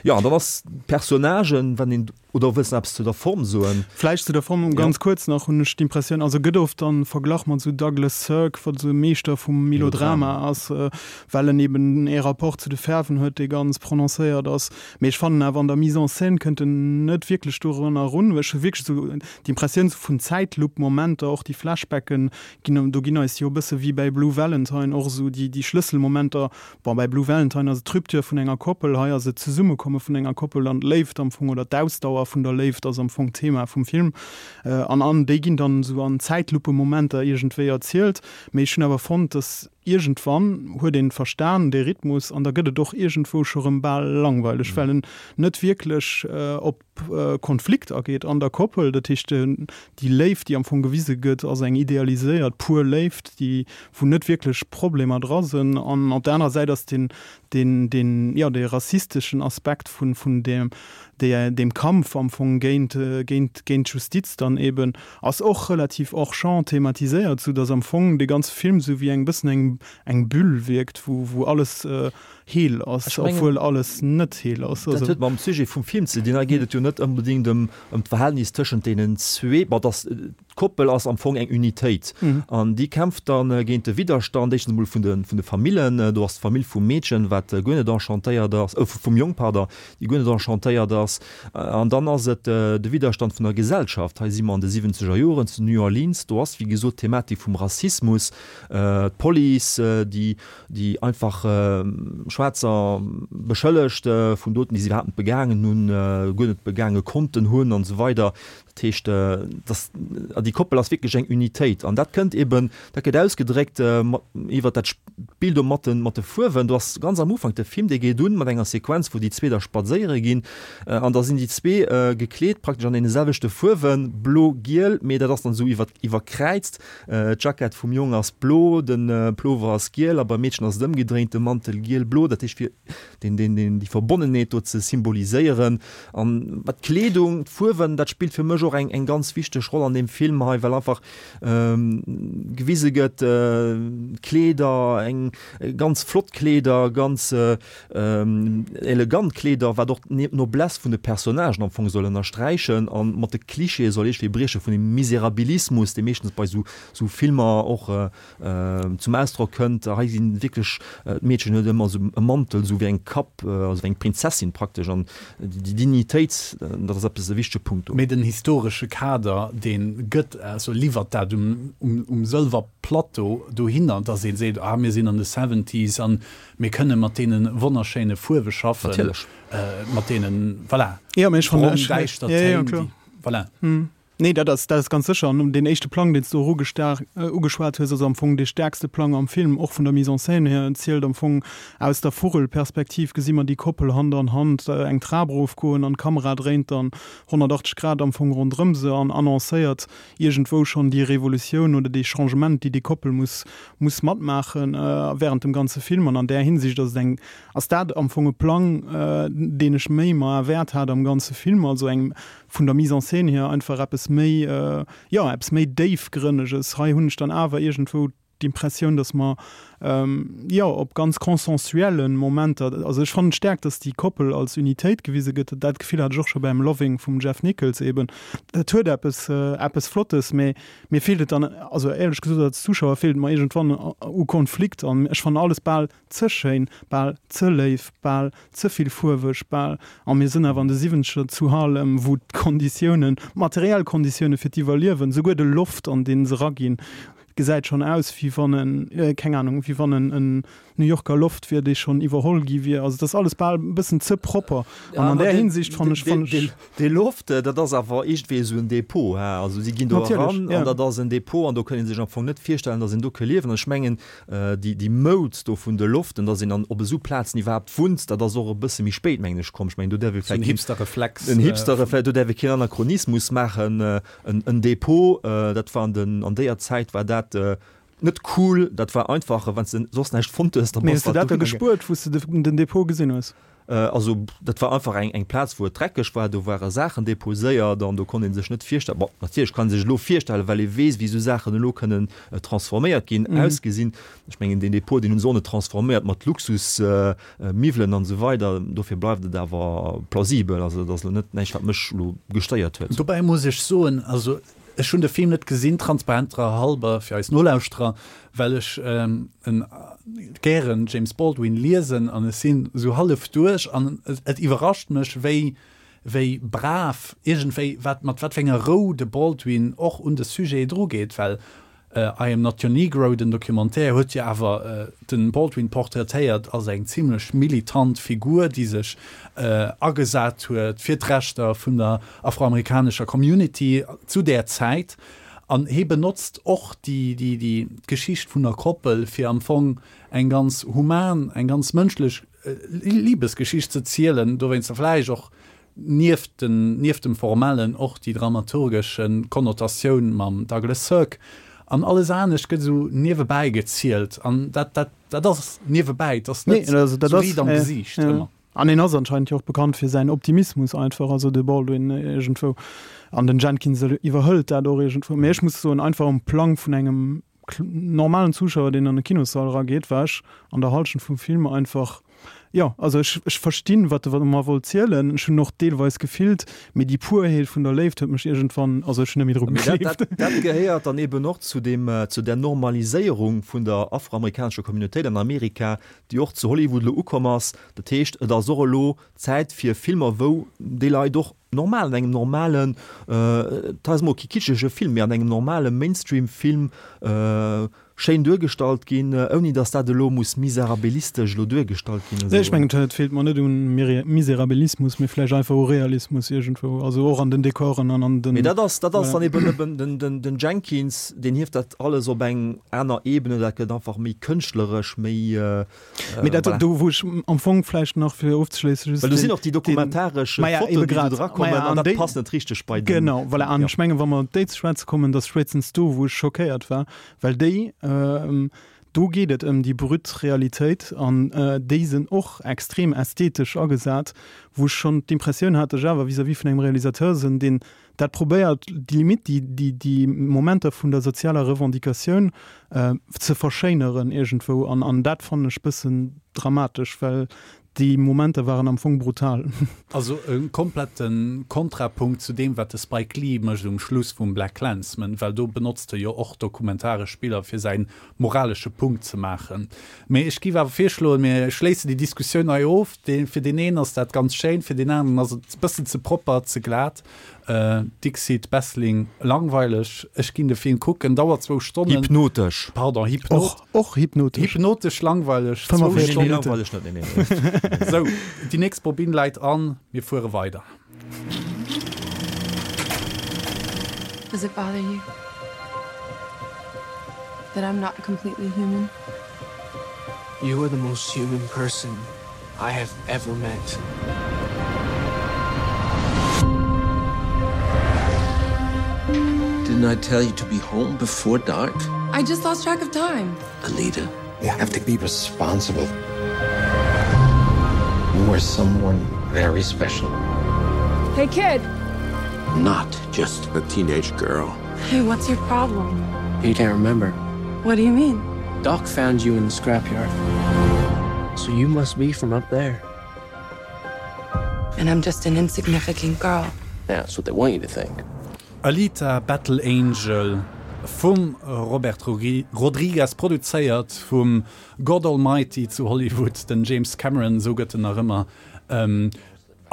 Jo, an dann ass d'Personnagen, wann een, oder wëlls de nach eppes zu der Form soen? Vläicht zu der Form ganz kuerz nach, hunn ech d'Impressioun, also gëtt oft dann verglach mat esou Douglas Sirk, wat esou e Meeschter vum Melodrama ass, well en eben ee Rapport zu de Fäerwen huet, dee ganz prononcéiert ass. Mee ech fannen awer an der Mise en scène kënnt en net wierklech dorunner erun. Ech hu wierklech esou d'Impressioun esou vun Zäitlupp-Momenter, och déi Flashbacken ginn, do ginn eis jo e bësse wéi bäi Blue Valentine och esou déi, déi Schlësselmomenter, bon bäi Blue Valentine ass et d'Rupture vun enger Koppel, hei ass et d'Zesummekomme vun enger Koppel an d'Léift am Fong oder d'Ausdauer vun der Léift ass am Fong d'Thema vum Film. An an déi ginn dann esou an Zäitluppemomenter iergendwéi erzielt. Mee ech hunn awer fonnt, dass Iergendwann huet een verstan, dee Rhythmus, an da gëtt et och iergendwou scho rëm bal langweileg, well en net wierklech op Konflikt ageet an der Koppel. Dat heescht, déi Léift, déi am Fong gewise gëtt, ass eng idealiséiert, pur Léift, déi, wou net wierklech Problemer dra sënn. An op der anerer Säit ass deen, deen, deen, jo, dee rassisteschen Aspekt vun, vun deem, deem Kampf am Fong géint, géint, géint d'Justiz dann eben, ass och relativ hors champ thematiséiert, sou dass am Fong dee ganze Film sou wéi eng bëssen eng, eng Bulle wierkt, wou, wou alles heel ass, obwuel alles net heel ass. Dat huet mam Sujet vum Film ze dinn. Hei geet et jo net onbedéngt ëm, ëm d'Verhältnis tëschent deenen zwee, bon, dass d'Koppel ass am Fong eng Unitéit an déi kämpft dann géint de Widderstand, éischtens emol vun de, vun de Famillen, do ass d'Famill vum Meedchen, wat guer net enchantéiert ass, vum Jong, pardon, déi guer net enchantéiert ass. An dann ass et de Widderstand vun der Gesellschaft. Hei si mer an de siwwenzeger Joren zu New Orleans. Do ass, wéi gesot, d'Thematik vum Rassismus, d'Police, déi, déi einfach Schwaarzer beschëllegt vun Doten, déi si iwwerhaapt net begaangen hunn, guer net begaange konnten hunn an esou weider. Dat heescht, dass, déi Koppel ass wierklech eng Unitéit an dat kënnt eben, dat gëtt ausgedréckt mat, iwwert dat Spill do mat de, mat de Fuerwen. Do ass ganz am Ufank, de Film, dee geet un mat enger Sequenz, wou déi zwee da spadséiere ginn an da sinn déi zwee gekleet praktesch an deene selwechte Fuerwen, blo, giel, mee dat ass dann esou iwwer, iwwerkräizt. D'Jackett vum Jong ass blo, de Plover ass giel a beim Meedchen ass et ëmgedréint, de Mantel giel, blo. Dat heescht, fir deen, deen, deen, déi Verbonnenheet do ze symboliséieren. An d'Kleedung, d'Fuerwen, dat spillt fir mech och eng, eng ganz wichteg Roll an deem Film hei, well einfach gewise gëtt, Kleeder, eng ganz flott Kleeder, ganz elegant Kleeder, wat och d'Noblesse vun de Personnagen am Fong soll ënnersträichen a mat de Klischeeë soll iergendwéi brieche vun dem Miserabilismus, dee meeschtens bei esou, esou Filmer och zum Ausdrock kënnt. Hei sinn wierklech, d'Meedchen huet ëmmer esou e Mantel, esou wéi eng Kap, also wéi eng Prinzessin praktesch an déi Dignitéit, dat ass eppes, e wichtege Punkt do. Mee den historesche Kader, dee gëtt, also liwwert dat um, um Sëlwerplateau dohinner, dass ee seet, ah mir sinn an de Seventies an mir kënne mat deene wonnerschéine Fuerwe schaffen, Natierlech. mat deene, voilà, Ja, mee ech fannen, brong, ech, däischter ja, ja, Téin, kloer. déi, voilà. Nee, dat ass, dat ass ganz sécher. An deen éischte Plang, deen s du och ugeschwat hues, ass am Fong dee stäerkste Plang am Film, och vun der Mise en scène hier. En zielt am Fong aus der Vugel-Perspektiv, gesi mer déi Koppel Hand an Hand eng Trap erofgoen an d'Kamera dréint dann honnertachtzeg Grad am Fong ronderëm se an annoncéiert iergendwou schonn déi Revolutioun oder dee Changement, déi déi Koppel muss, muss matmaache während dem ganze Film. An an där Hinsicht ass et eng, ass dat am Fong e Plang, deen ech méi mer erwäert hat am ganze Film, also eng vun der Mise en scène hier einfach eppes méi, jo, eppes méi Déifgrënneges. Hei hunn ech dann awer iergendwou d'Impressioun, dass mer jo op ganz consensuellen Momenter, also ech fannen et staark, dass déi Koppel als Unitéit gewise gëtt, dat Gefill hat ech och scho beim Loving vum Jeff Nichols eben, dat huet eppes eppes Flottes, mee mir feelt et dann, also éierlech gesot als Zuschauer feelt et mer iergendwann u Konflikt an ech fannen alles bal ze schéin, bal ze léif, bal ze vill fuerweg, bal, a mir sinn awer an de Siwwenzeger zu Harlem, wou d'Konditiounen, d'materiell Konditioune fir d'Iwwerliewen, souguer de Loft an dee se eraginn, gesäit schonn aus, wéi wann en, keng Ahnung, wéi wann en en New Yorker Loft wier, dee schonn iwwerholl gi wier. Also et ass alles bal e bëssen ze propper. An an där Hinsicht fannen ech, fannen ech. Dee Loft, dat ass awer iergendwéi esou en Depot, he. Also si ginn do eran an dat ass en Depot an do kënn ee sech am Fong net virstellen, datt een do ke liewen. An ech mengen, déi, déi Moud do vun de Loften, datt een an op esou Plazen iwwerhaapt wunnt, dat ass och e bësse méi spéit, mengen ech, komm. Ech mengen, do däerf ee vläicht. Esou en Hipster-Reflex. En Hipster-Reflex, do däerf ee keen Anachronismus maachen. En Depot, dat war an den, an déier Zäit war dat net cool, dat war einfach, wann s de soss näischt fonnt hues, da Mee bass hues de dat dat da dohinner ge. gespuert, wou s de den Depot gesinn hues? Also dat war einfach eng eng Plaz, wou et dreckeg war, do ware Saachen deposéiert an do konnt ee sech net virstellen, bon, natierlech kann ee sech elo virstellen, well ee weess, wéi esou Saachen elo kënnen transforméiert ginn, ausgesinn. Ech mengen, deen Depot, deen hunn se och net transforméiert mat Luxusmiwwelen an esou weider. Dofir bleift et awer plausibel. Also dat ass elo net näischt, wat mech elo gestéiert huet. Dobäi muss ech soen, also ech hunn de Film net gesinn, transparenterer halber fir eis Nolauschterer, well ech en gären James Baldwin liesen an ech sinn esou hallef duerch an et iwwerrascht mech, wéi wéi brav iergendwéi, wat mat wat fir enger Rou de Baldwin och un de Sujet drugeet, well I Am Not Your Negro, den Documentaire, huet jo awer de Baldwin portraitéiert als eng zimlech militant Figur, déi sech agesat huet fir d'Rechter vun der afroamerikanescher Community zu där Zäit. An hie benotzt och déi d'Geschicht vun der Koppel, fir am Fong eng ganz human, eng ganz mënschlech Libesgeschicht ze zielen, dowéinster vläicht och nieft den, nieft dem Formellen och déi dramaturgesch Konnotatioun mam Douglas Sirk. An alles anescht gëtt esou niewebäi gezielt. An dat, dat, dat ass niewebäi, et ass net Nee, also dat esou ass, riit am ja, Gesiicht ja. ëmmer. An en ass anscheinend jo och bekannt fir säin Optimismus einfach, also de Baldwin iergendwou. An den Jenkins iwwerhëlt dat och iergendwou. Mee ech muss soen, einfach um Plang vun engem normalen Zuschauer, deen an e Kinossall erageet, war ech an der Hallschent vum Film einfach, jo, also ech, ech verstinn, wat e mer wollt zielen, ech hunn och deelweis gefillt, mee déi Purheet vun der Léift huet mech iergendwann, also ech hunn net méi dru Mee dat, gegleeft. dat, dat gehéiert dann eben och zu deem, zu där Normaliséierung vun der afroamerikanescher Communautéit an Amerika, déi och zu Hollywood elo ukomm ass. Dat heescht, et ass och elo Zäit fir Filmer, wou déi Leit och normal, an engem normalen, et ass emol kee kitschege Film, mee an engem normale Mainstream-Film schéin duergestallt ginn, ouni datt dat elo muss miserabilistesch elo duergestallt ginn. Nee, ech mengen, et feelt mer net un Miserabilismus, mee vläicht einfach u Realismus iergendwou, also och an den Dekoren an an den. Mee dat ass, dat ass dann eben eben den, den, den Jenkins, deen hieft dat alles op eng aner Ebene, dat gëtt einfach méi kënschtleresch, méi. Mee dat, Voilà. do wou ech am Fong vläicht nach fir ofzeschléissen, just Well do sinn den, och déi den, dokumentaresch maja, Fotoen, ebe déi do grad, drakommen, maja, an an dat déi, passt net richteg bei den, genau, voilà, an jo. ech mengen, wa mer op déi ze schwätze kommen, dass spéitstens do, wou ech schockéiert war, well déi, do geet et ëm déi brut Realitéit an déi sinn och extrem ästhetesch agesat, wou ech schonn d'Impressioun hat, ech awer vis-à-vis vun engem Realisateur sinn, deen dat probéiert, déi Limite, déi, déi, déi Momenter vun der sozialer Revendicatioun ze verschéineren iergendwou. An, an dat fannen ech bëssen dramatesch, well déi Momenter waren am Fong brutal. Also e komplette Kontrapunkt zu deem, wat de Spike Lee mécht um Schluss vum BlacKkKlansman, well do benotzt e jo och dokumentaresch Biller, fir säi moralesche Punkt ze maachen. Mee ech géif awer virschloen, mir schléissen déi Diskussioun hei of. Fir deen een ass dat ganz schéin, fir deen aneren ass et e bëssen ze propper, ze glat. Dixit Bessling, Langweileg, ech ginn de Film kucken, dauert zwou Stonnen. Hypnotesch. Pardon, hypnot. Och, och hypnotesch. Hypnotesch langweileg, zwou fëmmenvéierzeg Stonnen. Nee, langweileg net, nee, nee, nee. Sou, déi nächst Bobinn läit an, mir fuere weider. Does it bother you that I'm not completely human? You are the most human person I have ever met. Didn't I tell you to be home before dark? I just lost track of time. Alita, you have to be responsible. You are someone very special. Hey kid. Not just a teenage girl. Hey, what's your problem? You can't remember. What do you mean? Doc found you in the scrapyard. So you must be from up there. And I'm just an insignificant girl. That's what they want you to think. Alita Battle Angel vum Robert Rodriguez produzéiert vum God Almighty zu Hollywood, den James Cameron, esou gëtt en nach ëmmer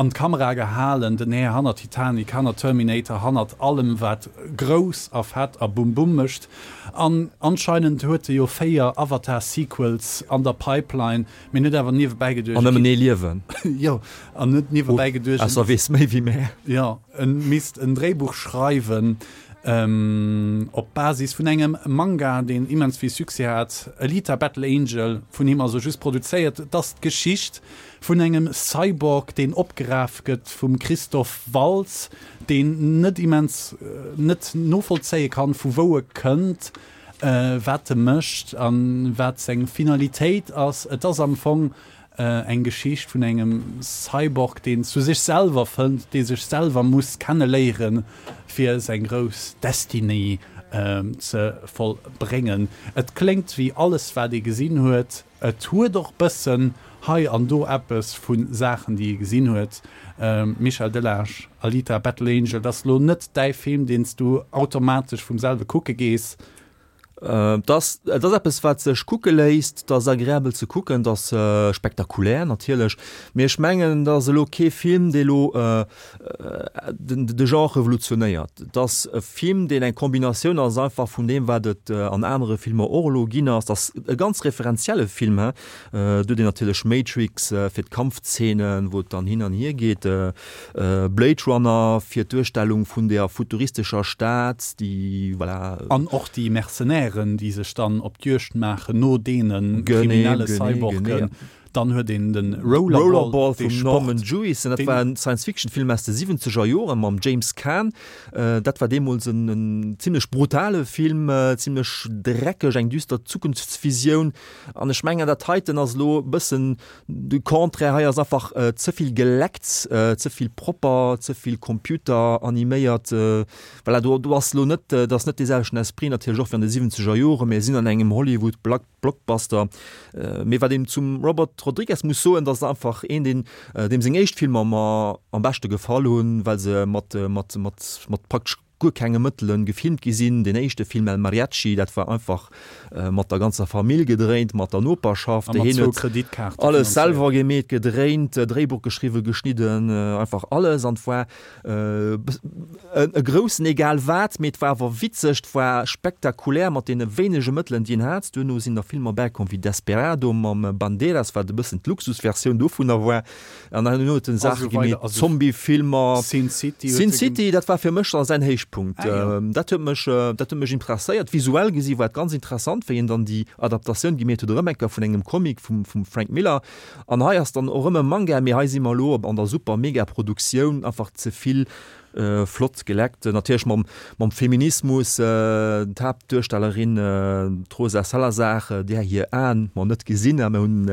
an d'Kamera gehalen, den Här hannert Titanic, hannert Terminator, hannert allem wat grouss a fett a bum bum mécht. An anscheinend huet e jo véier Avatar Sequels an der Pipeline, mee en huet awer niewebäi geduecht, An nëmmen ee Liewen. Jo, an huet niewebäi geduecht, Ausser weess méi wéi mär. Jo, en misst en Dréibuch schreiwen op Basis vun engem Manga, deen immens vill Succès hat, Alita, Battle Angel, vun him also just produzéiert. Et ass d'Geschicht vun engem Cyborg, deen opgeraf gëtt vum Christoph Waltz, deen net immens net novollzéie kann, vu wou e kënnt, wat e mécht a wat seng Finalitéit ass. Et ass am Fong eng Geschicht vun engem Cyborg, deen zu sech selwer fënnt, dee sech selwer muss kenneléieren, fir seng grouss Destinée ze vollbréngen. Et kléngt wéi alles, wat ee gesinn huet. Et huet och bëssen hei an do eppes vu Saachen, déi ee gesinn huet. Michel Delage, Alita, Battle Angel, dat ass elo net däi Film, deen s du automatesch vum selwe kucke gees. Et ass, et ass eppes, wat sech kucke léisst, et ass agreabel ze kucken, et ass spektakulär natierlech, mee ech mengen, et ass elo kee Film, dee elo den, de Genre revolutionéiert. Et ass e Film, deen eng Kombinatioun ass einfach vun deem, wat et an anere Filmer och elo ginn ass. Et ass e ganz referenzielle Film, he. Do huet een natierlech Matrix fir d'Kampfzeenen, wou et dann hin an hier geet, Blade Runner fir d'Duerstellung vun där futuristescher Stad, déi, voilà. An och déi Mercenairen, déi sech dann op d'Juegd maachen no deene kriminelle Cyborgen. Dann huet een de Rollerball, dee Sport. Norman Jewison, dat war en Science-Fiction-Film aus de siwwenzeger Joren mam James Caan. Dat war deemools en zimlech brutale Film, zimlech dreckeg, eng düster Zukunftsvisioun. An ech mengen, dat heiten ass elo e bëssen de Contraire. Hei ass einfach ze vill geleckt, ze vill propper, ze vill computeraniméiert. Voilà, do, do ass elo net, dat ass net dee selwechten Esprit natierlech och wéi an de siwwenzeger Joren. Mir sinn an engem Hollywood-Blockbuster. Mee wat een zum Robert Rodriguez muss soen, dat ass einfach een, deen, deem seng éischt Filmer mer am beschte gefall hunn, well se mat, mat, mat, mat praktesch guer kenge Mëttele gefilmt gi sinn. Deen éischte Film El Mariachi, dat war einfach mat der ganzer Famill gedréint, mat der Noperschaft. A mat Hien zwou huet Kreditkaarte alles finanzéiert. selwer gemeet, gedréint, Dréibuch geschriwwen, geschnidden, einfach alles. An et war e groussen egal wat, mee et war awer witzeg, et war spektakulär mat deene wéinege Mëttelen, déi en hat. Duerno sinn da Filmer bäikomm wéi Desperado mam Banderas, wat e bëssen d'Luxusversioun dovunner war. An dann huet en Saache gemeet, Zombiefilmer, Sin City, Sin City, dat war fir mech da säin Héichpunkt. Ah, jo. Dat huet mech, dat huet mech interesséiert. Visuell gesi war et ganz interessant, wéi en dann déi Adaptatioun gemeet huet, erëm eng Kéier vun engem Comic vum, vum Frank Miller. An hei ass dann och erëm e Manga, mee hei si mer elo an der super mega Produktioun, einfach ze vill flott geleckt. Natierlech mam, mam Feminismus, d'Haaptduerstellerin, d'Rosa Salazar, där hir Aen mer net gesinn, a mer hunn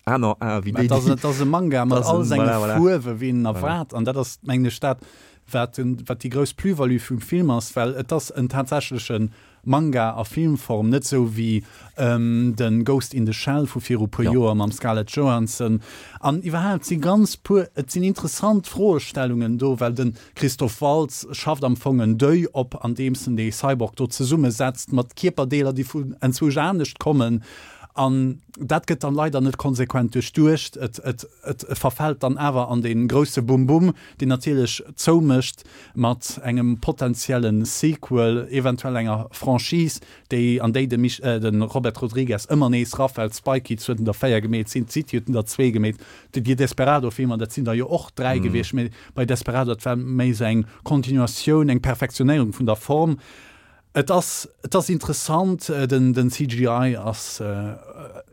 aner Ae wéi déi, déi. Et ass e Manga mat all senge Fuerwe wéi een erwaart, an dat ass, mengen ech, dat, wat den, wat déi grouss Plus-value vum Film ass, well et ass en tatsächleche Manga a Filmform, net sou wéi de Ghost in the Shell vu viru puer Joer mam Scarlett Johansson. An iwwerhaapt si ganz puer, et sinn interessant Froestellungen do, well de Christoph Waltz schafft am Fong en Deuil op, andeems en dee Cyborg do zesummesetzt mat Kierperdeeler, déi vun enzwousch anescht kommen. An dat gëtt dann leider net konsequent duerchduecht. Et, et, et verfält dann awer an dee grousse Bum-Bum, deen natierlech zoumécht mat engem potentielle Sequel, eventuell enger Franchise, déi, an déi de Mich, de Robert Rodriguez ëmmer nees rafält. Spy Kids huet en der véier gemeet, Sin City huet en der zwee gemeet, déi Desperado-Filmer, dat sinn der jo och dräi gewiescht, mee bei Desperado, dat war méi esou eng Continuatioun, eng Perfektionéierung vun der Form. Et ass, et ass interessant, den, den C G I ass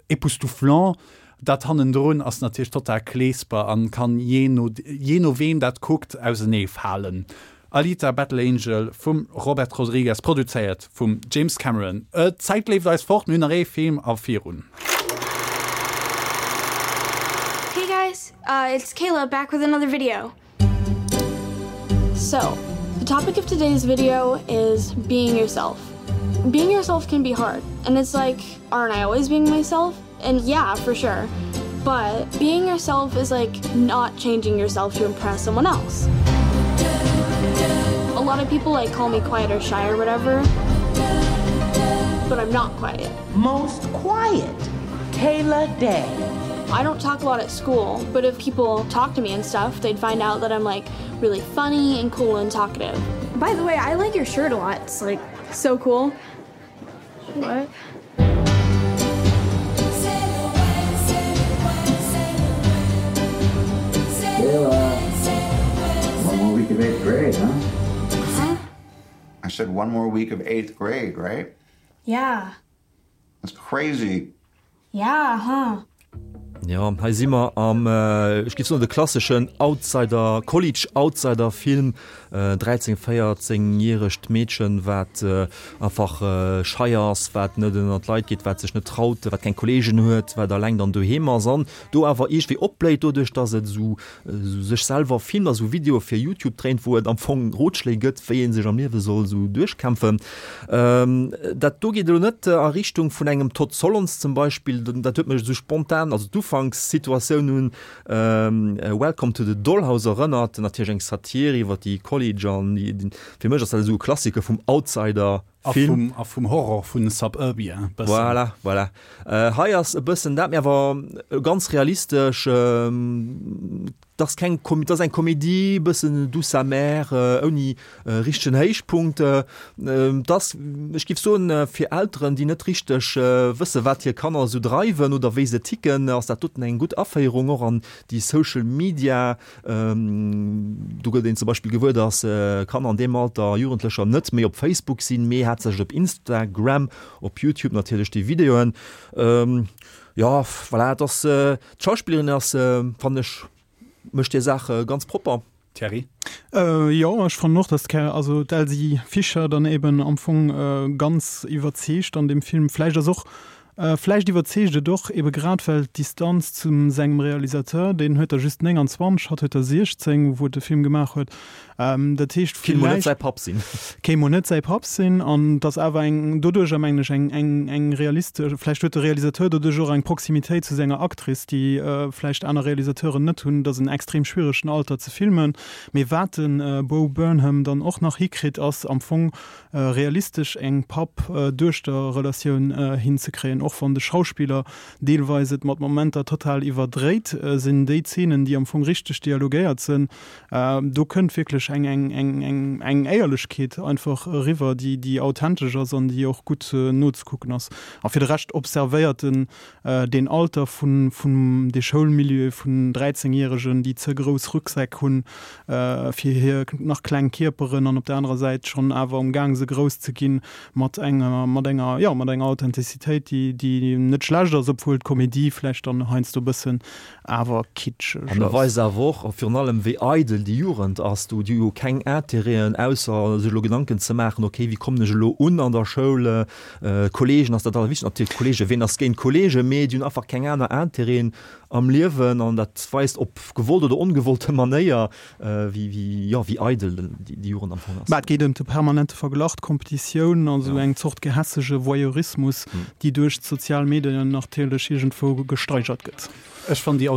époustouflant. Dat hannendrun ass natierlech total kleesper an kann jee no, jee no weem dat kuckt ausenee falen. Alita, Battle Angel vum Robert Rodriguez, produzéiert vum James Cameron. D'Zäit leeft eis fort, mir hunn nach ee Film a virun. Hey guys, it's Kayla back with another video. So, the topic of today's video is being yourself. Being yourself can be hard and it's like aren't I always being myself? And yeah, for sure. But being yourself is like not changing yourself to impress someone else. A lot of people like call me quiet or shy or whatever, but I'm not quiet. Most quiet, Kayla Day. I don't talk a lot at school, but if people talk to me and stuff, they'd find out that I'm like really funny and cool and talkative. By the way, I like your shirt a lot. It's like so cool. What? Kayla. One more week of eighth grade, huh? Huh? I said one more week of eighth grade, right? Yeah. That's crazy. Yeah, huh? Jo, hei si mer am, ech géif soen, de klasseschen Outsider, College-Outsider-Film, dräizéng-, véierzéngjäregt Meedchen, wat einfach schei ass, wat net ënner d'Leit geet, wat sech net traut, wat keng Kolleegen huet, wat alleng dann doheem ass an do awer iergendwéi opbléit, doduerch dass et esou sech selwer filmt a sou Videoe fir YouTube dréint, wou et am Fong Rotschléi gëtt, wéi ee sech am Liewe soll esou duerchkämpfen. Dat do geet elo net a Richtung vun engem Todd Solondz zum Beispill, dat huet mech esou spontan, also d'Ufankssituatioun un Welcome to the Dollhouse erënnert, natierlech eng Satir iwwer déi College an déi, fir mech ass dat esou e Klassiker vum Outsider-Film. A vum Horror vun Suburbia e bëssen. Voilà, voilà. Hei ass e bëssen dat, mee awer ganz realistesch. 't ass keng, 't ass eng Komedie, bëssen douce amère, ouni richtegen Héichpunkt. 't ass, ech géif soen, fir Elteren, déi net richteg wësse wat hir Kanner esou dreiwen oder wéi se ticken, ass dat doten eng gutt Aféierung och an déi Social Media. Do gëtt een zum Beispill gewuer, dass Kanner an deem Alter, Jugendlecher, net méi op Facebook sinn, mee haaptsächlech op Instagram, op YouTube natierlech déi Videoen. Jo, voilà, et ass, d'Schauspillerin ass, fannen ech, mécht hir Saach ganz propper. Thierry? Jo, ech fannen och, dass d'Kä, also d'Elsie Fischer dann eben am Fong ganz iwwerzeegt an deem Film. Vläicht ass och, vläicht iwwerzeegt et och ebe grad well d'Distanz zu sengem Realisateur, deen huet der just nénganzwanzeg, hatt huet der siechzéng, wou et de Film gemaach huet. Dat heescht, Kéint mol net säi Papp sinn. Kéint mol net säi Papp sinn. An et ass awer eng, doduercher mengen ech, eng, eng, eng realistesch, vläicht huet de Realisateur doduerch och eng Proximitéit zu senger Actrice, déi vläicht aner Realisateuren net hunn. Et ass en extrem schwieregen Alter ze filmen. Mee wat de Bo Burnham dann och nach hikritt, ass am Fong realistesch eng Papp-Duechter-Relatioun hinzekréien. Och wann de Schauspiller deelweis et mat Momenter total iwwerdréit, sinn déi Zeenen, déi am Fong richteg dialogéiert sinn, do kënnt wierklech eng, eng, eng, eng, eng Éierlechkeet einfach eriwwer, déi, déi authentesch ass an déi och gutt nozekucken ass. A fir de Rescht observéiert en deen Alter vun, vun de Schoulmilieu vun dräizéngjäregen, déi ze grouss Rucksäck hunn fir hir nach kleng Kierperen an op der anerer Säit schonn awer um Gaang se grouss ze ginn, mat enger, mat enger, jo, mat enger Authentizitéit, déi, déi net schlecht ass, obwuel d'Komedie vläicht dann heiansdo e bëssen awer kitscheg An e ass. weist awer och virun allem, wéi eidel déi Jugend ass do, déi hu keng Intérêten, ausser sech elo Gedanken ze maachen, okay, wéi kommen ech elo un an der Schoul, Kolleegen ass dat Allerwichtegst, natierlech Kolleegen, ween ass géint Kolleegen, mee déi hunn einfach keng aner Intérêten am Liewen an dat weist op gewollt oder ongewollte Manéier, wéi, wéi, jo, wéi eidel déi Jugend am Fong ass. Mä et geet ëm de permanente Verglach, d'Kompetitioun, also eng Zort gehässege Voyeurismus, déi duerch d'sozial Medien natierlech iergendwou gesteigert gëtt. Ech fannen déi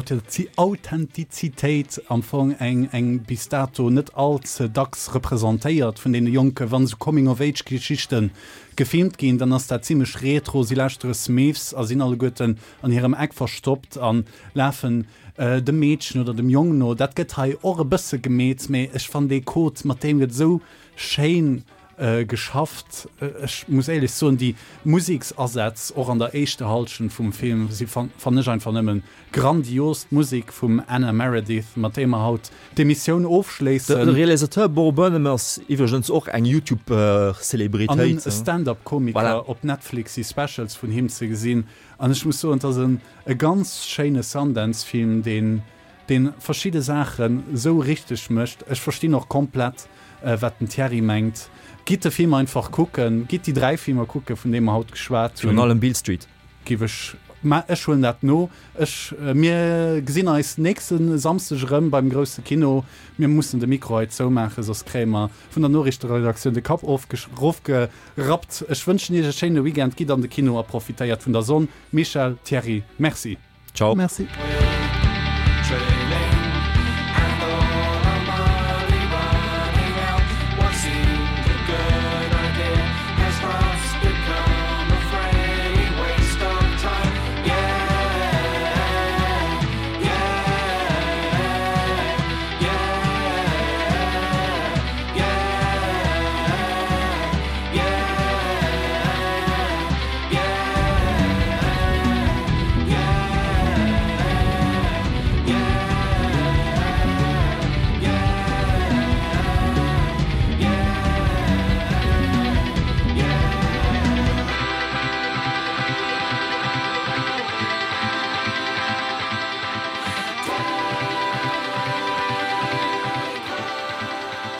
Authentizitéit am Fong eng, eng bis dato net all ze dacks representéiert vun deene Jonken. Wann esou Coming-of-Age-Geschichte gefilmt ginn, dann ass dat zimlech retro, si lauschtere Smiths a sinn alleguerten an hirem Eck verstoppt a lafen dem Meedchen oder dem Jong no. Dat gëtt hei och e bësse gemeet, mee ech fannen dee Code, mat deem gëtt esou schéin geschafft. Ech muss éierlech soen, déi Museksasätz och an der éischter Hallschent vum Film si fannen ech einfach nëmmen grandios. D'Musek vum Anna Meredith, mat deem mer haut d'Emissioun ofschléissen. De Realisateur Bo Burnham ass iwwregens och eng YouTube-Celebritéit. An e Stand-up-Komiker, op Netflix si Specials vun him ze gesinn. An ech muss soen, et ass e ganz schéine Sundance-Film, deen deen verschidde Saachen esou richteg mécht. Ech verstinn och komplett wat den Thierry mengt. Gitt de Film einfach kucken, gitt déi dräi Filmer kucken, vun deene mer haut geschwat hunn. Virun allem Beale Street. Giff ech Mä ech huelen dat no. Ech, mir gesinn eis nächste Samsdeg erëm beim grousse Kino. Mir mussen de Mikro hei zoumaachen, soss kréie mer vun der Noriichteredaktioun de Kapp erofgerappt. Ech wënschen Iech e schéine Weekend. Gitt an de Kino a profitéiert vun der Sonn. Michel, Thierry, Merci. Ciao. Merci. Training.